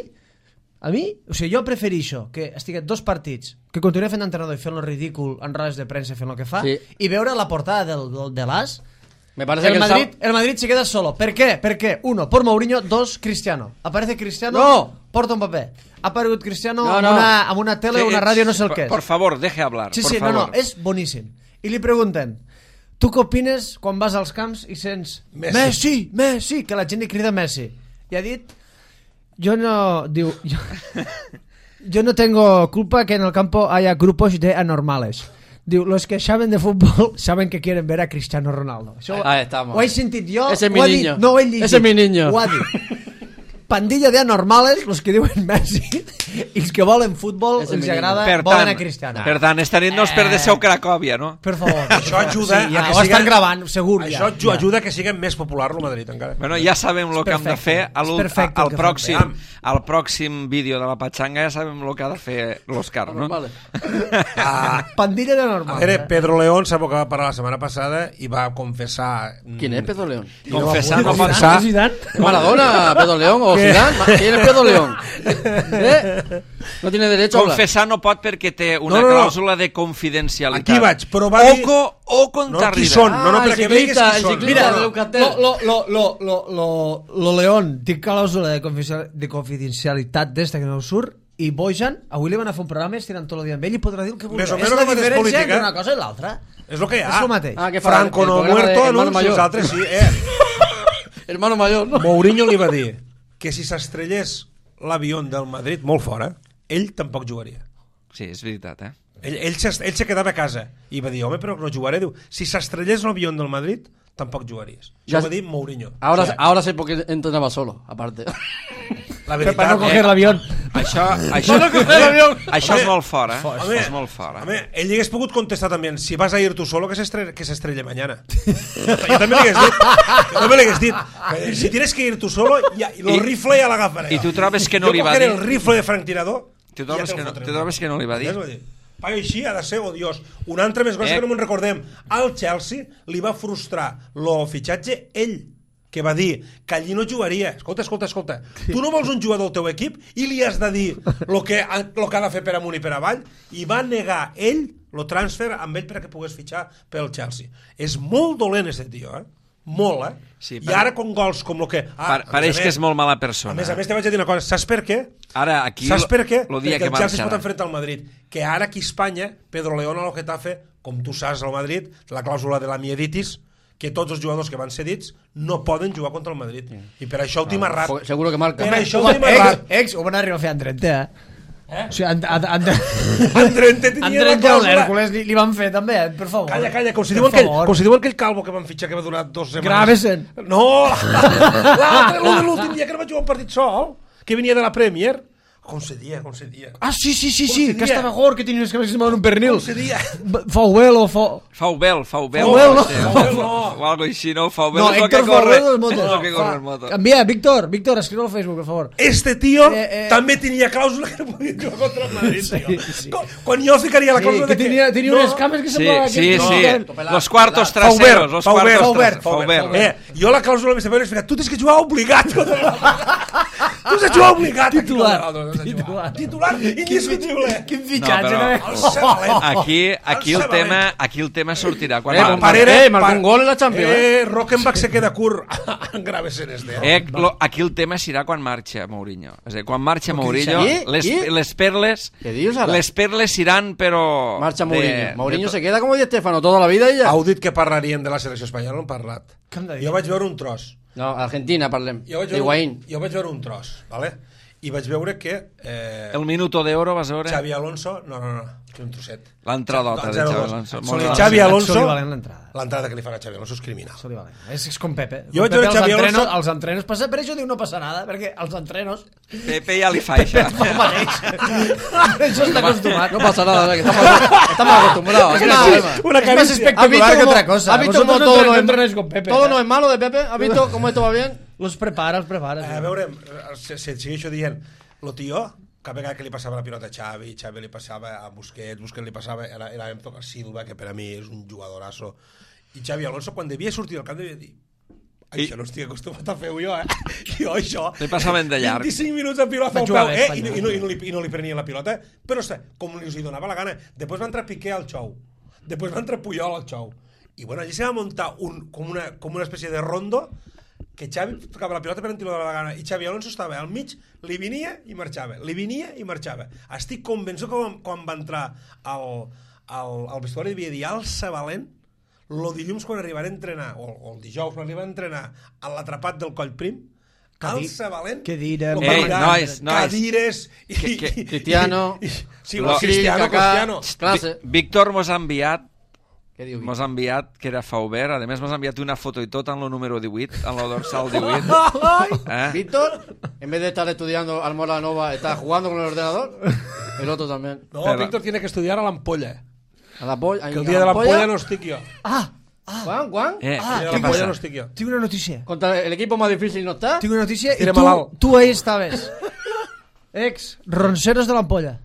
a mi, o sigui, jo prefereixo que estigui dos partits, que continuï fent d'entrenador i fent lo ridícul en rodes de premsa fent el que fa, sí. I veure la portada del, del, de l'As. Me parece el, que Madrid, el, el Madrid se queda solo. ¿Per qué? Porque, uno, por Mourinho, dos, Cristiano. Aparece Cristiano, no. Porta un paper. Ha aparegut Cristiano no, no. Amb, una, amb una tele o una ràdio, no sé el por, que és. Por favor, deje hablar. Sí, por sí, favor. no, no, és boníssim. I li pregunten, tu què opines quan vas als camps i sents Messi, Messi, Messi, que la gent li crida Messi? I ha dit, jo no, diu, jo, yo no tengo culpa que en el campo haya grupos de anormales. Diu, los que saben de fútbol saben que quieren ver a Cristiano Ronaldo. Això ah, estamos. Ho he sentit jo, ese ho ha dit, no ho he llegit. Ese es mi niño. Ho ha dit. Pandilla de anormales, los que diuen Messi, i els que volen futbol, els agrada, per volen tant, a Cristiano. Per tant, esta nit no us perdéssiu Cracòvia, no? Per favor. Això ajuda sí, ja, a que ho siga... estan gravant, segur. Això ja, ajuda ja. a que sigui més popular el Madrid, encara. Bueno, ja sabem el que hem de fer al, al, pròxim, al pròxim vídeo de la Pachanga, ja sabem el que ha de fer l'Òscar, no? Vale. Ah, Pandilla de normal. A veure, Pedro León sap que va parlar la setmana passada i va confessar... ¿Quién es Pedro León? Confessar no pot Confessar. ser... ¿Maradona, Pedro León o Zidane? ¿Quién es Pedro León? ¿Eh? No tiene derecho a hablar. Confessar no pot perquè té una no, no, no. clàusula de confidencialitat. Aquí vaig, però va dir... Oco, o contar no, qui són, no, no, Ah, perquè el veigues ciclista, qui el són. ciclista. Mira, Leucatel. lo, lo, lo, lo, lo, lo León té clàusula de, confidencial, de confidencialitat d'esta que no surt i Bojan, avui li van a fer un programa estirant tot el dia amb ell i podrà dir el que vulgui. Més o És menys la el mateix diferència política. d'una cosa i l'altra. És el que hi ha. És el mateix. Ah, que fa Franco el no programa de muerto, Hermano no, Mayor. els altres sí. Eh. Hermano mayor, ¿no? Mourinho li va dir que si s'estrellés l'avió del Madrid molt fora, ell tampoc jugaria. Sí, és veritat, eh? Ell, ell, se, ell se quedava a casa i va dir, home, però no jugaré. Diu, si s'estrellés l'avió del Madrid, tampoc jugaries. Això Ya va dir Mourinho. Ahora, O sea, ahora sé por qué entrenaba solo, aparte. la Per veritat, no coger eh? l'avió. Això, això, no coger l'avió. això és molt fort, eh? Home, és molt fort, eh? home, ell li hagués pogut contestar també, si vas a ir tu solo, que s'estrelle que s'estrelle mañana. Jo també li hagués dit, jo també li hagués dit, que si tienes que ir tu solo, ja, i el I- rifle ja l'agafaré. I tu trobes que no li va Jo dir? cogeré el rifle de franc-tirador. Tu trobes, ja que no, fotré. tu trobes que no li va dir? Ja es va dir. Paio, així ha de ser odiós. Una altra més cosa Eh. que no me'n recordem. Al Chelsea li va frustrar el fitxatge ell, que va dir que allí no jugaria. Escolta, escolta, escolta. Tu no vols un jugador del teu equip i li has de dir el que, lo que ha de fer per amunt i per avall, i va negar ell el transfer amb ell perquè pogués fitxar pel Chelsea. És molt dolent aquest tio, eh? Molt, eh? Sí, I per- ara con gols com el que... Pa- a Pareix més a que més- és molt mala A persona. més a més, te vaig a dir una cosa. Saps per què? Ara, aquí... Saps per què? Lo dia Perquè que el Chelsea es marxarà. pot enfrontar al Madrid. Que ara aquí a Espanya, Pedro León a lo Getafe com tu saps, al Madrid, la clàusula de la mieditis, que tots els jugadors que van cedits no poden jugar contra el Madrid. I per això el Tim Arrat... Seguro que marca. Per això el Home, Tim Arrat... ex, ex, ho van arribar a fer en trenta, eh? Eh? O sigui, en, en, en, En trenta tenia en la trenta clàusula. l'Hèrcules li, li van fer també, eh? Per favor. Calla, calla, com si, Per diuen aquell, favor. com si diuen aquell calvo que van fitxar que va durar dos setmanes. Gravesen. No, l'altre, l'últim dia que no va jugar un partit sol, que venia de la Premier. Com se dia, com se dia. Ah, sí, sí, sí, Com sí, se que dia? estava gord, que tenia unes cames que semblaven un pernil. Com se dia. Faubel o fa... Faubel, Faubel. Faubel, no. Sí, Faubel, no. O algo així, no? Faubel No, és el que Héctor corre. Faubel de les motos. És el que corre Fa- en moto. Envia, Víctor, Víctor, escriu al Facebook, per favor. Este tío Eh, eh. també tenia clàusula que no podia jugar contra el Madrid, Sí, tio. sí. Quan, quan jo ficaria la Sí, clàusula que de tenia, tenia no, unes cames que Sí, semblaven... sí, que- sí. No. Los cuartos Faubert, traseros, los Faubert, cuartos Faubert, traseros. Faubert. Eh, jo la clàusula més severa és que tu tens que jugar obligat contra el Tu has de jugar obligat. Titular. aquí contra l'altre, Titular. Titular indiscutible. Quin fitxatge, No, no, però- El Sabalent. Aquí, aquí, el El tema, Sabalent. aquí el tema sortirà. Quan Eh, Mar- com Parera, Eh, marcó un gol en la Champions, Eh, Rockenbach se queda curt en Gravesen este. Eh? Eh, lo, aquí el tema serà quan marxa Mourinho. És a dir, quan marxa Mourinho, I? les, I? les perles ¿Qué dius ara? les perles seran, però... Marcha de- Mourinho. Mourinho de se queda como Di Stéfano toda la vida y ya. Heu dit que parlarien de la selecció espanyola, no han parlat. Què hem de dir? Jo vaig veure un tros. No, Argentina, parlem. Jo vaig De veure, Higuaín. jo vaig veure un tros, ¿vale? I vaig veure que eh, El minuto d'oro, vas veure? Xavi Alonso... No, no, no, que un trosset. L'entradota de zero Xavi dos. Alonso. Sol- Molt Xavi bé. Xavi Alonso... Sol i valent l'entrada. L'entrada que li fan a Xavi Alonso és criminal. Sol i valent. És, és com Pepe. Jo Com vaig veure Pepe, Xavi els entrenos, Alonso- els entrenos passa, per això diu no passa nada, perquè els entrenos... Pepe ja li fa això. Això està acostumat. No pasa nada, ¿verdad? Que estamos, estamos acostumbrados. Aquí no hay problema. Una Es más caricia. espectacular que otra cosa. ¿Has visto Vosotros cómo no todo entren- no no es, entrenáis con Pepe, todo eh? no es malo de Pepe? ¿Has visto cómo esto va bien? Los prepara, els prepara. A veure, se, se segueixo dient, lo tio, cada vegada que li passava la pilota a Xavi, Xavi li passava a Busquets, Busquets li passava, era, era a Silva, que per a mi és un jugadorasso, i Xavi Alonso, quan devia sortir al camp, devia dir, I- això no estic acostumat a fer-ho jo, eh? Jo això... Li passaven de llarg. vint-i-cinc minuts de pilota Va al jugar peu, bé, eh? I, Espanya. no- i, no, i, no li, I no li prenien la pilota, però sé, com li hi donava la gana. Després va entrar Piqué al xou, després va entrar Puyol al xou, i bueno, allí se va muntar un, com, una, com una espècie de rondo, que Xavi tocava la pilota per on li donava la gana i Xavi Alonso estava al mig, li venia i marxava, li venia i marxava. Estic convençut que quan, quan va entrar al, al, al vestuari devia dir alça valent el dilluns quan arribarà a entrenar o, o el dijous quan arriba a entrenar a l'atrapat del Coll Prim, Cadi- alça valent què direm? lo Ei, parlarà, nois, nois. cadires i, Que- que- i- Cristiano, i, i, sí, Lo- Cristiano, Kaká, Cristiano. clase. Víctor mos ha enviat ¿Qué digo? mos ha enviat, que era Faubert, a més mos ha enviat una foto i tot en el número divuit, en el dorsal divuit. Eh? Víctor, en vez de estar estudiando Almora Nova, está jugando con el ordenador. El otro también. No, Pero- Víctor tiene que estudiar a l'ampolla, A la polla. que el dia de l'ampolla no estic jo. Ah, Juan, Juan. Eh, Ah, El dia de què l'ampolla passa? no estic jo. tinc una notícia. Contra el equipo más difícil no está. Tinc una notícia i Tira tu, malalt. tu ahí estaves. Ex, ronceros de l'ampolla.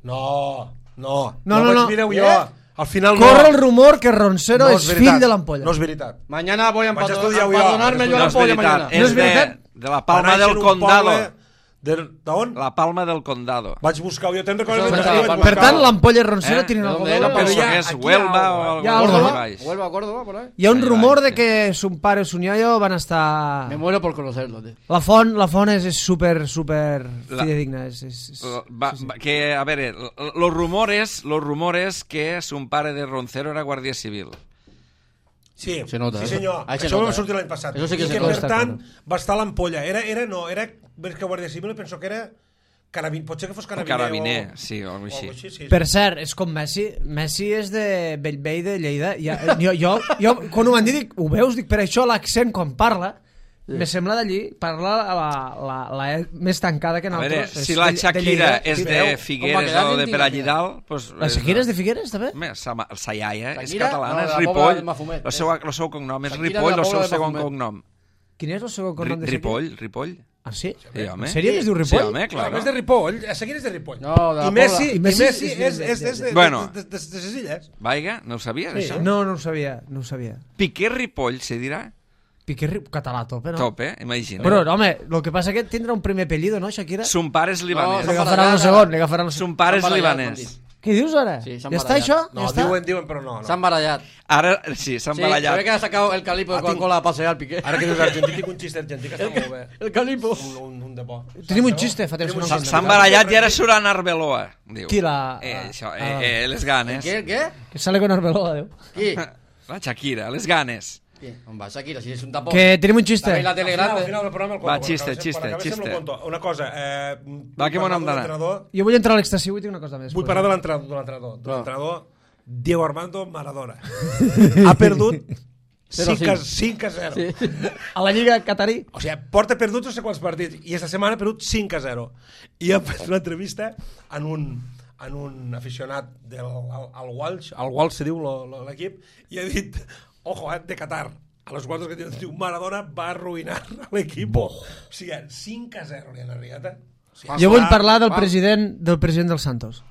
No, no, No, no, vaig no. dir-ho jo. Eh? Al final no. Corre el rumor que Roncero no és veritat. fill de l'ampolla. No és veritat. Mañana voy a Vaig empadron- estudiar-ho jo. empadronarme yo No la és polla veritat, mañana. és No és de, veritat? de la Va Palma néixer del en un Condado. poble de- D'on? La Palma del Condado. Vaig buscar-ho, jo te'n recordes? Això que és vaig la buscar-ho. Per tant, l'ampolla i Roncero Eh? tenen ¿De algo dónde de era? veure. Però Penso ja, que és aquí Huelva hi ha o algo, algo hi ha així algo, no? baix. Vuelvo a Córdoba, por ahí. Hi ha un Ahí rumor va, de sí. que son pare i son iaio van estar... Me muero por conocerlo, tío. La font, la font és, és super, super La- fidedigna. És, és, és... Va, va, que, a veure, l- los rumores, los rumores que son pare de Roncero era guàrdia civil. Sí, Se nota, sí eh? senyor. Ahí se Això nota, va sortir eh? l'any passat. Això sí que I se que, nota. per tant, va estar a l'ampolla. Era, era, no, era més que guàrdia civil, penso que era carabin, potser que fos carabiner. Carabiner, o, sí, o alguna o així. algo així. Sí, sí. Per cert, és com Messi. Messi és de Bellvei de Lleida. Ja, jo, jo, jo, quan ho van dir, dic, ho veus? Dic, per això l'accent quan parla, me sembla d'allí, parla la, la, la E més tancada que A veure, nosaltres. si És la de- de Shakira Lleida. és Sí, de veu? Com va Figueres quedar o de Argentina, Perallidal, pues, La Shakira és de Figueres, també? Home, sa, ma- sa iaia és Shakira? catalana, No, és la pobla Ripoll. de Mafumet, El seu, el seu cognom és Shakira Ripoll, de la el seu pobla de segon Mafumet. cognom. Quin és el segon cognom Ri, de Shakira? Ripoll, Ripoll. Ah, sí? Sí, home. En sèrio que es diu Sí, Ripoll? home, Clar, clar. és de Ripoll, a seguir és de Ripoll. No, de la I Messi, Pobla. i I Messi, Messi és, és és, de- és, és de, Bueno. de, de, de, de ses illes. Vaiga, no ho sabies, Sí. això? No, no ho sabia, no ho sabia. Piqué Ripoll, se dirà? Piqué Ri- català a tope, no? Tope, imagina. Però, home, el que passa és que tindrà un primer apellido, no, Shakira? Son pare és No, libanès. Li son agafaran el para segon, allá. li agafaran el segon. Son pare és Son para allá, libanès. Què dius ara? Sí, s'han ja està barallat. això? No, ja està? diuen, diuen, però no. no. S'han barallat. Ara, sí, s'han Sí, barallat. se ve que ha sacado el calipo de Ah, tinc- Coca-Cola a pasear al Piqué. Ara que dius argentí, tinc un xiste argentí que està molt bé. El calipo. Un, un, un de bo. Tenim un xiste, fa temps que no S'han el s'han contem. barallat i ara surt en Arbeloa. Diu. Qui, la- Eh, ah, això, ah. eh, eh, les ganes. ¿Qué? ¿Qué? Que sale con Arbeloa, Déu. ¿Qué? La Shakira, les ganes. ¿Qué? On va, Shakira, si es un tapón. Que tenim un També xiste. la tele Al final, grande. al final del programa el conto. Va, quan xiste, acabéssim- xiste, quan acabéssim xiste. el conto. Una cosa, eh, Va, que vull bon hem parlar de d'anar. l'entrenador. Jo vull entrar a l'ecstasí, vull dir una cosa més. Vull pues. parlar de l'entrenador, de l'entrenador, de No. l'entrenador Diego Armando Maradona. Ha perdut Zero cinc a cinc. cinc a zero. Sí. A la Lliga Catarí. O sigui, porta perdut no sé quants partits i esta setmana ha perdut cinc a zero. I ha fet una entrevista en un, en un aficionat del al, al Walsh, al Walsh se diu lo- lo- l'equip, i ha dit, ojo, eh, de Qatar, a los quartos que diu, diu, Maradona va arruïnar l'equip. O sigui, cinc a zero li han arribat, eh? O sigui, Jo vull va- parlar del va- president del president dels Santos.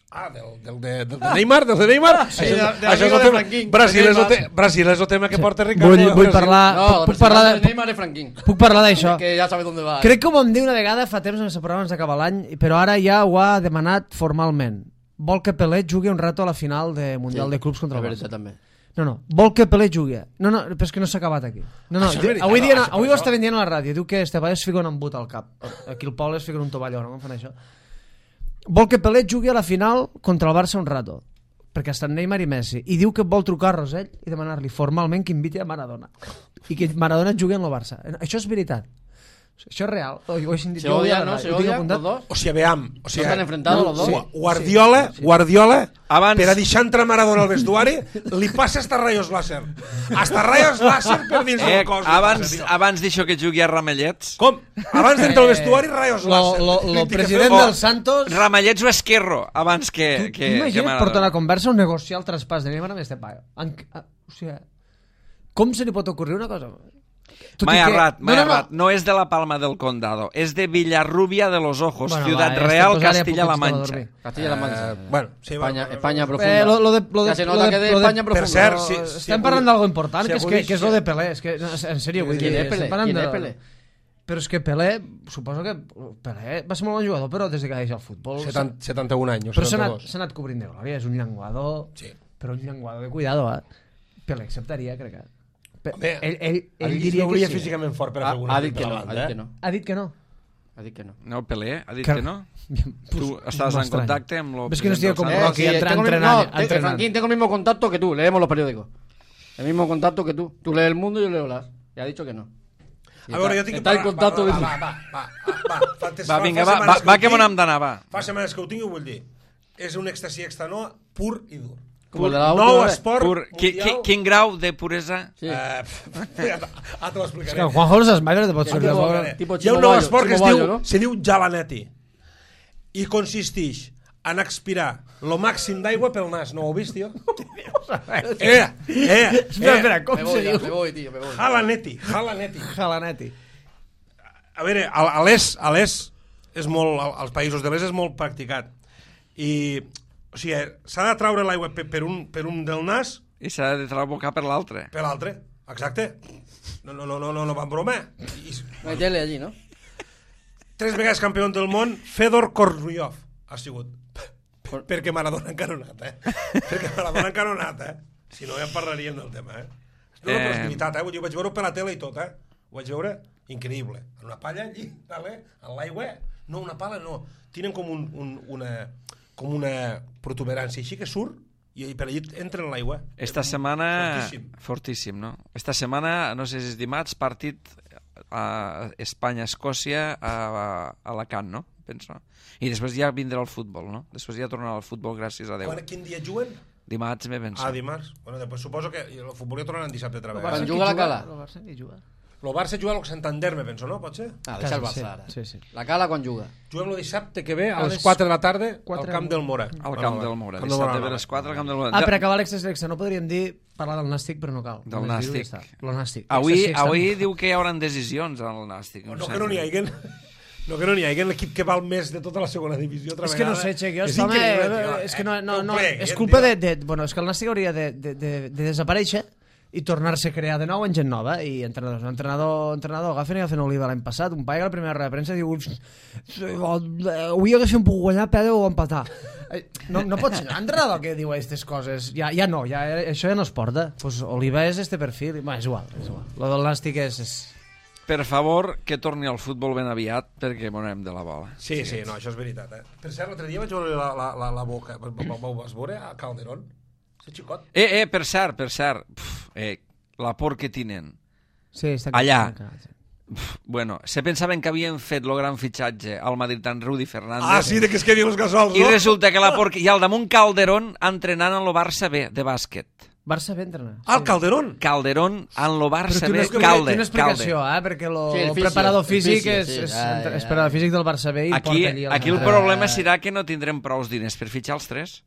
Ah, del, del, de, del de Neymar, del de Neymar. Sí, això, de- de això és amigo el de tema. Franquín. Brasil és, el Neymar. te, Brasil és el tema que porta Ricardo. Vull, de vull Brasil. parlar... No, puc, el puc parlar presidente de, de Neymar es Franquín. puc parlar d'això. Que ja sabe dónde va. Crec que ho vam dir una vegada fa temps en el programa abans d'acabar l'any, però ara ja ho ha demanat formalment. Vol que Pelé jugui un rato a la final de Mundial Sí, de Clubs contra és el veritat, Barça. també. No, no, vol que Pelé jugui. No, no, però és que no s'ha acabat aquí. No, no, Això és veritat, avui, no, dient, això- avui ho això- estaven dient a la ràdio. Diu que este paio es fica un embut al cap. Aquí el poble es fica un tovalló, no? Com fan això? Vol que Pelé jugui a la final contra el Barça un rato, perquè estan Neymar i Messi, i diu que vol trucar a Rosell i demanar-li formalment que inviti a Maradona i que Maradona jugui en el Barça. Això és veritat. Això és real. Ho he sentit Se jo avui a la odian, ¿no? ràdio. Se Ho tinc odian apuntat. los dos. O sigui, veam. O sigui, están enfrentados los dos? Gu- Guardiola, Guardiola, Abans- per a deixar entrar Maradona al vestuari, li passa hasta rayos láser. Hasta rayos láser per dins Eh, del cos. li abans passa, tio. abans d'això que jugui a Ramallets, Com? Abans d'entrar al vestuari, rayos Lo, láser. lo, lo Li president dic, del Santos... Ramallets o Esquerro, abans que, Tu, que, tu que imagina't portar una Maradona. conversa o negociar el traspàs de Neymar amb este paio. En, a, o sigui, com se li pot ocurrir una cosa? Tot M'he i que- errat, m'he no, no, errat. No és de la Palma del Condado, és de Villarrubia de los Ojos, Bueno, Ciudad va, este Real, pues ara ja Castilla-La puc estar a Mancha. dormir. Castilla-La Mancha. Eh, bueno, sí, España, va, España va, profunda. Eh, lo, lo de, lo de, Ya se lo nota de, que de lo de- España profunda. Per cert, no, sí, eh, sí. Estem parlant d'algo important, si que és, que, avui- que és lo de Pelé. És que, no, en sèrio, vull dir... ¿Quién es estem Pelé? parlant ¿Quién de- es Pelé? Però és que Pelé, suposo que Pelé va ser molt bon jugador, però des que ha deixat el futbol... setanta, setanta-un anys, o Però s'ha anat, setanta-dos. s'ha anat cobrint de glòria, és un llenguador... Sí. Però un llenguador de cuidado, eh? Pelé acceptaria, crec que... Pe- Home, ell, ell, ell Ell diria que veuria sí. físicament fort per a Ha, fer alguna ha dit que cosa no, davant, ha dit eh? que no. Ha dit que no. Ha dit que no. No, Pelé, ha dit Que- que no? Pues, Tu estàs en m'estranya. contacte amb el Ves que no estic president com del Rocky, Santos? entra- tengo el- entrenant, no, te- entrenant. Franquín, tengo el mismo contacto que tú. Leemos los periódicos. El mismo contacto que tú. Tú lees El Mundo y yo leo las. Y ha dicho que no. Y A veure, está- jo tinc que está en parlar- contacto va, de... va, va, va, va, va, fa, fa, Va, vinga, fa va, setmanes va, va ho que me tinc, n'hem d'anar, va. Fa setmanes que ho tinc i ho vull dir. És un èxtasi extanoa pur i dur. Como el de la Nou última vez. esport Pur, qui, qui, mundial. quin grau de puresa? Sí. Eh, ara te És l'explicaré. que el Juanjo els esmaires de pot Que ser... tipo- de- tipo Hi ha un Chimo nou Bayo, esport que es Chimo diu, Bayo, no? se diu Javaneti i consisteix en expirar lo màxim d'aigua pel nas. No ho heu vist, tio? eh, eh, Espera, eh. espera, com Me se voy, ya, diu? me voy, tío, me voy. Jalaneti, Jalaneti. Jalaneti. A veure, a, a l'est, a l'est és molt, als països de l'est és molt practicat. I, o sigui, s'ha de traure l'aigua per, per, un, per un del nas I s'ha de trabocar per l'altre. per l'altre. Exacte. No, no, no, no, no, no va en broma. I, No hay tele allí, ¿no? tres vegades campió del món, Fedor Korzulyov ha sigut. Perquè Maradona encara no ha anat, eh? Perquè Maradona encara no ha anat, eh? Si no, ja en parlaríem del tema, eh? No, Eh. però és veritat, eh? Jo vaig veure per la tele i tot, eh? Ho vaig veure increïble. En una palla allí, vale? En l'aigua. No, una pala no. Tenen com, un, un, una, com una protuberància així que surt i per allí entra en l'aigua. Esta setmana... Fortíssim. Fortíssim, no? Esta setmana, no sé si és dimarts, partit a Espanya-Escòcia a, a Alacant, no? Penso. I després ja vindrà el futbol, no? Després ja tornarà el futbol, gràcies a Déu. Quan, quin dia juguen? Dimarts, me penso. Ah, dimarts. Bueno, després suposo que el futbol ja tornaran dissabte altra Quan vegada. juga la Cala. El Barça qui juga? El Barça juga al Santander, me penso, no? Pot ser? Ah, deixa el Sí, Barça ara. sí, sí. La Cala quan juga. Juguem el dissabte que ve a A les les quatre de la tarda quatre al Camp del Mora. Al Camp del Mora. Camp del Dissabte Mora. a les quatre al Camp del Mora. Ah, per acabar l'excés d'extra, no podríem dir parlar del Nàstic, però no cal. Del Només dir-ho i Nàstic. ja està. Lo Nàstic. Avui, Extra, sí, extra. avui diu que hi haurà decisions al Nàstic. No, que no n'hi hagi. No, que no n'hi hagi l'equip que val més de tota la segona divisió. Altra És que no vegada. sé, Xec, jo, És home, increïble, tio, és que no, eh? no, no, ho plegui, és eh, culpa tio. de, de, bueno, és que el Nàstic hauria de, de, de, de desaparèixer i tornar-se a crear de nou en gent nova i entrenadors. Un entrenador, entrenador agafen i agafen Oliva l'any passat, un paio a la primera roda de premsa diu avui haguéssim pogut guanyar, perdre o empatar. No, no pot ser l'entrenador que diu aquestes coses. Ja, ja no, ja, això ja no es porta. Pues Oliva és este perfil. Bueno, és igual, és igual. Lo del Nàstic és... és... Per favor, que torni al futbol ben aviat, perquè monem de la bola. Sí, sí, no, això és veritat, eh? Per cert, l'altre dia vaig veure la, la, la, la boca. Ho vas veure a Calderón? És xicot. Eh, eh, per cert, per cert. Pff, eh, la por que tenen. Sí, està Allà. Aquí. Pff, bueno, se pensaven que havien fet el gran fitxatge al Madrid en Rudi Fernández. Ah, sí, de que es quedin els gasols, I no? resulta que la por... I al damunt Calderón entrenant en el Barça B, de bàsquet. Barça bé entrenar. Ah, el Calderón. Calderón en el Barça Però B, té una, Calde. té una explicació, eh? Perquè lo, Sí, el el fisio, preparador el físic fisio, és, sí. és, Ai, és ai. preparador físic del Barça B i Aquí, porta allí... aquí el entrenador. problema serà que no tindrem prous diners per fitxar els tres.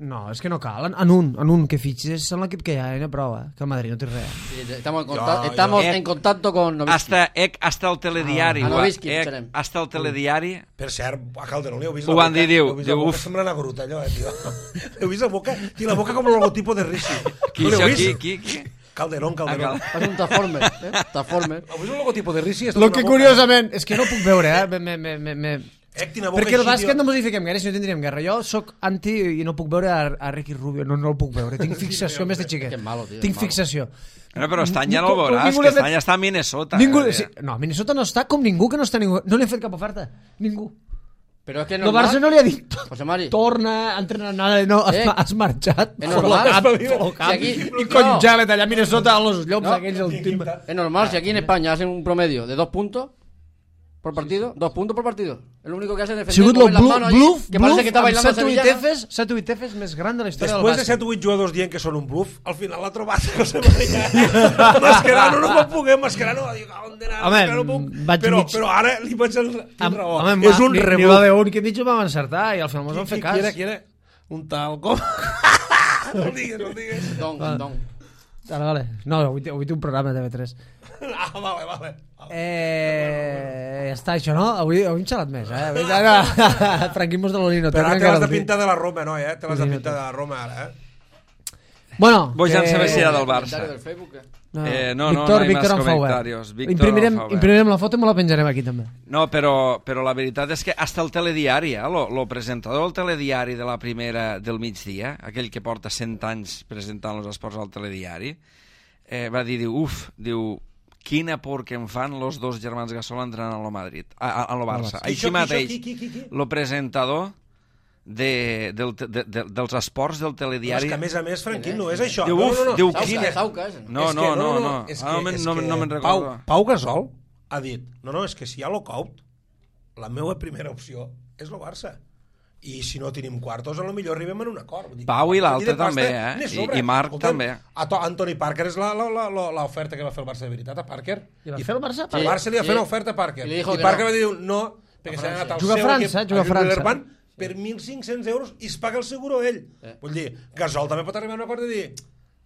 No, és que no cal. En, en un, en un que fitxis en l'equip que hi ha, no prou, eh? Que el Madrid no té res. Sí, estamos en contacto, Yo- estamos yo- en contacto con Novitsky. Hasta, eh, hasta el telediari. Ah, ho ha- Novitsky, eh, esperem. hasta el telediari. Per cert, a Calderón li heu vist Ho la van boca? dir, diu, Heu vist la diu, boca? uf. Sembla una gruta, allò, eh, tio. Heu vist la boca? Té la boca com el logotipo de Rishi. Qui, No l'heu això, vist? qui, qui, qui? Calderón, Calderón. Ah, És un Transformer, eh? Transformer. Heu vist el logotipo de Rishi? Lo que curiosament, és que no puc veure, eh? Me, me, me, me... Ectina boca Perquè el així, bàsquet tio. no mos hi fiquem gaire, si no tindríem guerra. Jo sóc anti i no puc veure a, a Ricky Rubio, no, no el puc veure. Tinc fixació més de xiquet. Que malo, tio, Tinc malo. fixació. Bueno, però Estany ja Ningú- no el veuràs, ningú que li ha fet- Estany està a Minnesota. Ningú, eh? sí, no, Minnesota no està com ningú que no està ningú. No li ha fet cap oferta. Ningú. Però és que és El normal. Barça no li ha dit José Mari. torna, entrena nada, no, has, Eh, has marxat. és normal. Col·locat, col·locat. Si aquí- I congelat allà a Minnesota, a los llops No. aquells, el timbre. Es normal, si aquí en España hacen un promedio de dos puntos por partido, dos puntos por partido. Es lo único que hacen es Ha defender, sigut el mover las bluff, manos allí, bluff, que parece que está amb bailando set o vuit sevillana. Fs, set o vuit Fs més gran de la història Després de del set bàsquet. o vuit jugadors dient que són un bluff, al final l'ha trobat José María. Mascherano no va poder, Mascherano va dir, on d'anar, Home, Mascherano puc. vaig Però, mig- però ara li vaig al... Amb, raó. home, És un ni, ni rebuf. la d'un que hem dit jo vam encertar i al final mos Qui, vam fer qui, cas. qui era, qui era? Un tal com... no el digues, no el digues. Don, don. Vale, vale. No, avui, té- avui té un programa de T V tres. Ah, vale, vale. Eh, ja està, això, no? Avui, avui hem xalat més, eh? Avui, ara, franquismos de l'Olino. Però ara te encara l'has de el dir. pintar de la Roma, no, eh? Te l'has de Sí, pintar de la Roma, ara, eh? Bueno, Vos ja en que- sabeu si era del Comentario Barça. del Facebook, eh. No, Eh, no, no, Víctor, no hay Víctor más en Fauer. comentarios. Víctor Imprimirem, en Fauer. imprimirem la foto i me la penjarem aquí també. No, però, però la veritat és que hasta el telediari, eh, lo, lo presentador del telediari de la primera del migdia, aquell que porta cent anys presentant els esports al telediari, eh, va dir, diu, uf, diu, quina por que em fan los dos germans Gasol entrant a lo Madrid, a, a, a lo Barça. Barça. Així Qui, mateix, qui, qui, qui, qui? lo presentador de, del, de, de, dels esports del És telediari... que, a més a més, Franquín, no és això. Diu, no, uf, no, no. diu, Sauca, quina... Sauca, ese. No, És no, que no, no, és ah, no, me'n- és no, que no me'n Pau, recordo. Pau Gasol ha dit, no, no, és que si hi ha lockout, la meva primera opció és el Barça. I si no tenim quartos, a lo millor arribem en un acord. Vull dir, Pau i a l'altre partir de pasta, també, eh? n'hi I- sobra. i Marc també. A to, Anthony Parker és la- la- la- la- l'oferta que va fer el Barça de veritat, a Parker. I va fer el Barça? El Sí, Barça li va sí. fer una oferta a Parker. I li I, dijo que Parker no. va dir no, perquè s'ha anat al Juga a seu França, equip, juga a França. Villeurbanne, per mil cinc-cents euros i es paga el seguro ell. Eh. Vull dir, Gasol també pot arribar a un acord de dir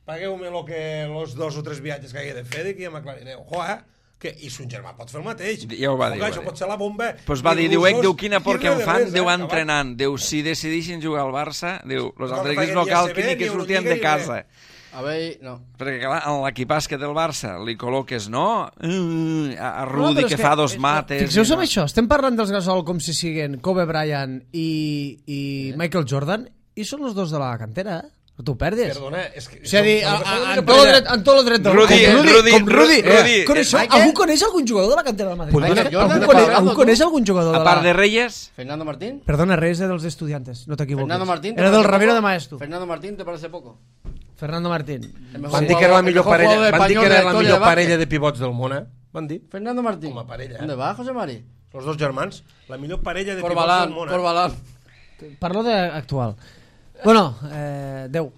pagueu-me lo que, los dos o tres viatges que hagi de fer i que ja m'aclariré. Ojo, eh? Que, I son germà pot fer el mateix. Ja ho va dir, Ojo, ho va això dir. pot ser la bomba. Pues va I dir, diu, ec, russos, diu, quina por i que em res de fan, res, diu, eh, entrenant, diu, si decidixen jugar al Barça, diu, los No altres cal que equips no facin cal ni que A C B, ni que ni sortien Euroliga, de ni casa. res. A ver, no. Perquè, clar, en l'equip bàsquet del Barça li col·loques, no? Uh, a, a No, Rudi, però és que, fa dos és- mates... Fixeu-vos i en no. això, estem parlant dels Gasol com si siguin Kobe Bryant i, i Michael Jordan i són els dos de la cantera, eh? No t'ho perdis. Perdona, és que... O sigui, som- a, som- a, som a, una en tot el parella. dret, en tot el dret del Rudi, com Rudi, Rudi, com Rudi. Rudi. Eh, coneixeu, Michael? algú coneix algun jugador de la cantera del Madrid? Pues Michael Algú Jordan, coneix, ¿estás algú hablando coneix tú? algun jugador de A la... part de Reyes, Fernando Martín. Perdona, Reyes de dels Estudiantes, no t'equivoques. Fernando Martín. ¿te Era del parece Ramiro poco? de Maestro. Fernando Martín, ¿te parece poco? Fernando Martín. El mejor Van dir que era la jugador- millor el mejor parella, jugador van dir que español de era la la historia millor de parella básquet. de pivots del món, eh? Van dir? Fernando Martín. Com a parella, eh? ¿Dónde va, José Mari? Els dos germans, la millor parella de pivots Corbalán, del món, eh? Corbalán. Parlo d'actual. Bueno, eh, deu.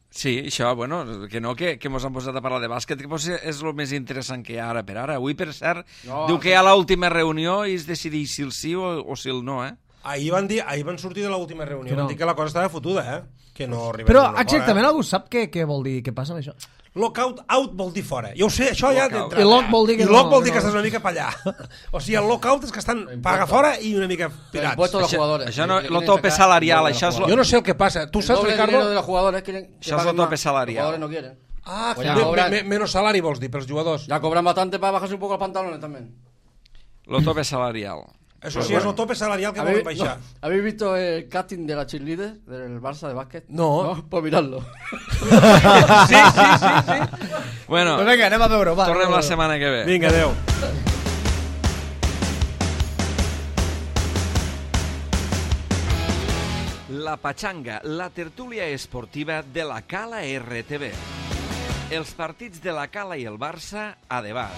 sí, això, bueno, que no, que, que mos han posat a parlar de bàsquet, que potser és el més interessant que hi ha ara per ara. Avui, per cert, No, diu que hi ha l'última reunió i es decideix si el sí o, o si el no, eh? Ahir van, dir, ahir van sortir de l'última reunió, Que no. van dir que la cosa estava fotuda, eh? Que no arribem Però a un acord, exactament eh? algú sap què, què vol dir, què passa amb això? Lockout out vol dir fora. Jo ho sé, això ja Lockout. d'entrada. I lock vol dir que I lock no, vol dir no. que estàs una mica pa allà. O sigui, el lockout és que estan paga fora i una mica pirats. impuesto a los Això, jugadors. això no, Que lo quieren tope sacar salarial, dinero de això los és lo, Jo no sé el que passa. Tu El saps, doble dinero de Ricardo? los jugadores quieren que Això és paguen el tope más. salarial. Los jugadores no quieren. Ah, Pues que ya me- cobran. me- menos salari vols dir pels jugadors. Ya cobran bastante para bajarse un poco los pantalones también. lo tope salarial. Eso sí, es el tope salarial que volen baixar. No, ¿habéis visto el casting de la cheerleader del Barça de básquet? No. no pues miradlo. Sí, sí, sí, sí. Bueno, Pues vinga, anem a veure, va. tornem la setmana que ve. Vinga, adeu. La Pachanga, la tertúlia esportiva de la Cala R T V. Els partits de la Cala i el Barça a debat.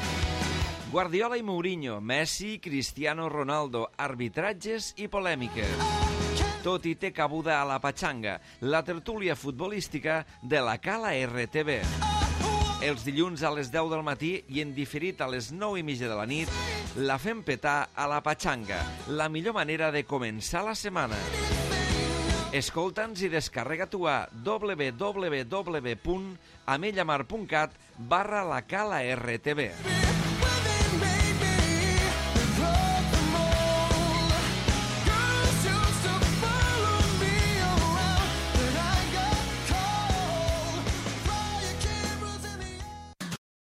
Guardiola i Mourinho, Messi, Cristiano Ronaldo, arbitratges i polèmiques. Tot hi té cabuda a la Pachanga, la tertúlia futbolística de la Cala R T V. Els dilluns a les deu del matí i en diferit a les nou i mitja de la nit, la fem petar a la Pachanga, la millor manera de començar la setmana. Escolta'ns i descarrega-t'ho a w w w punt amellamar punt cat barra la Cala R T V.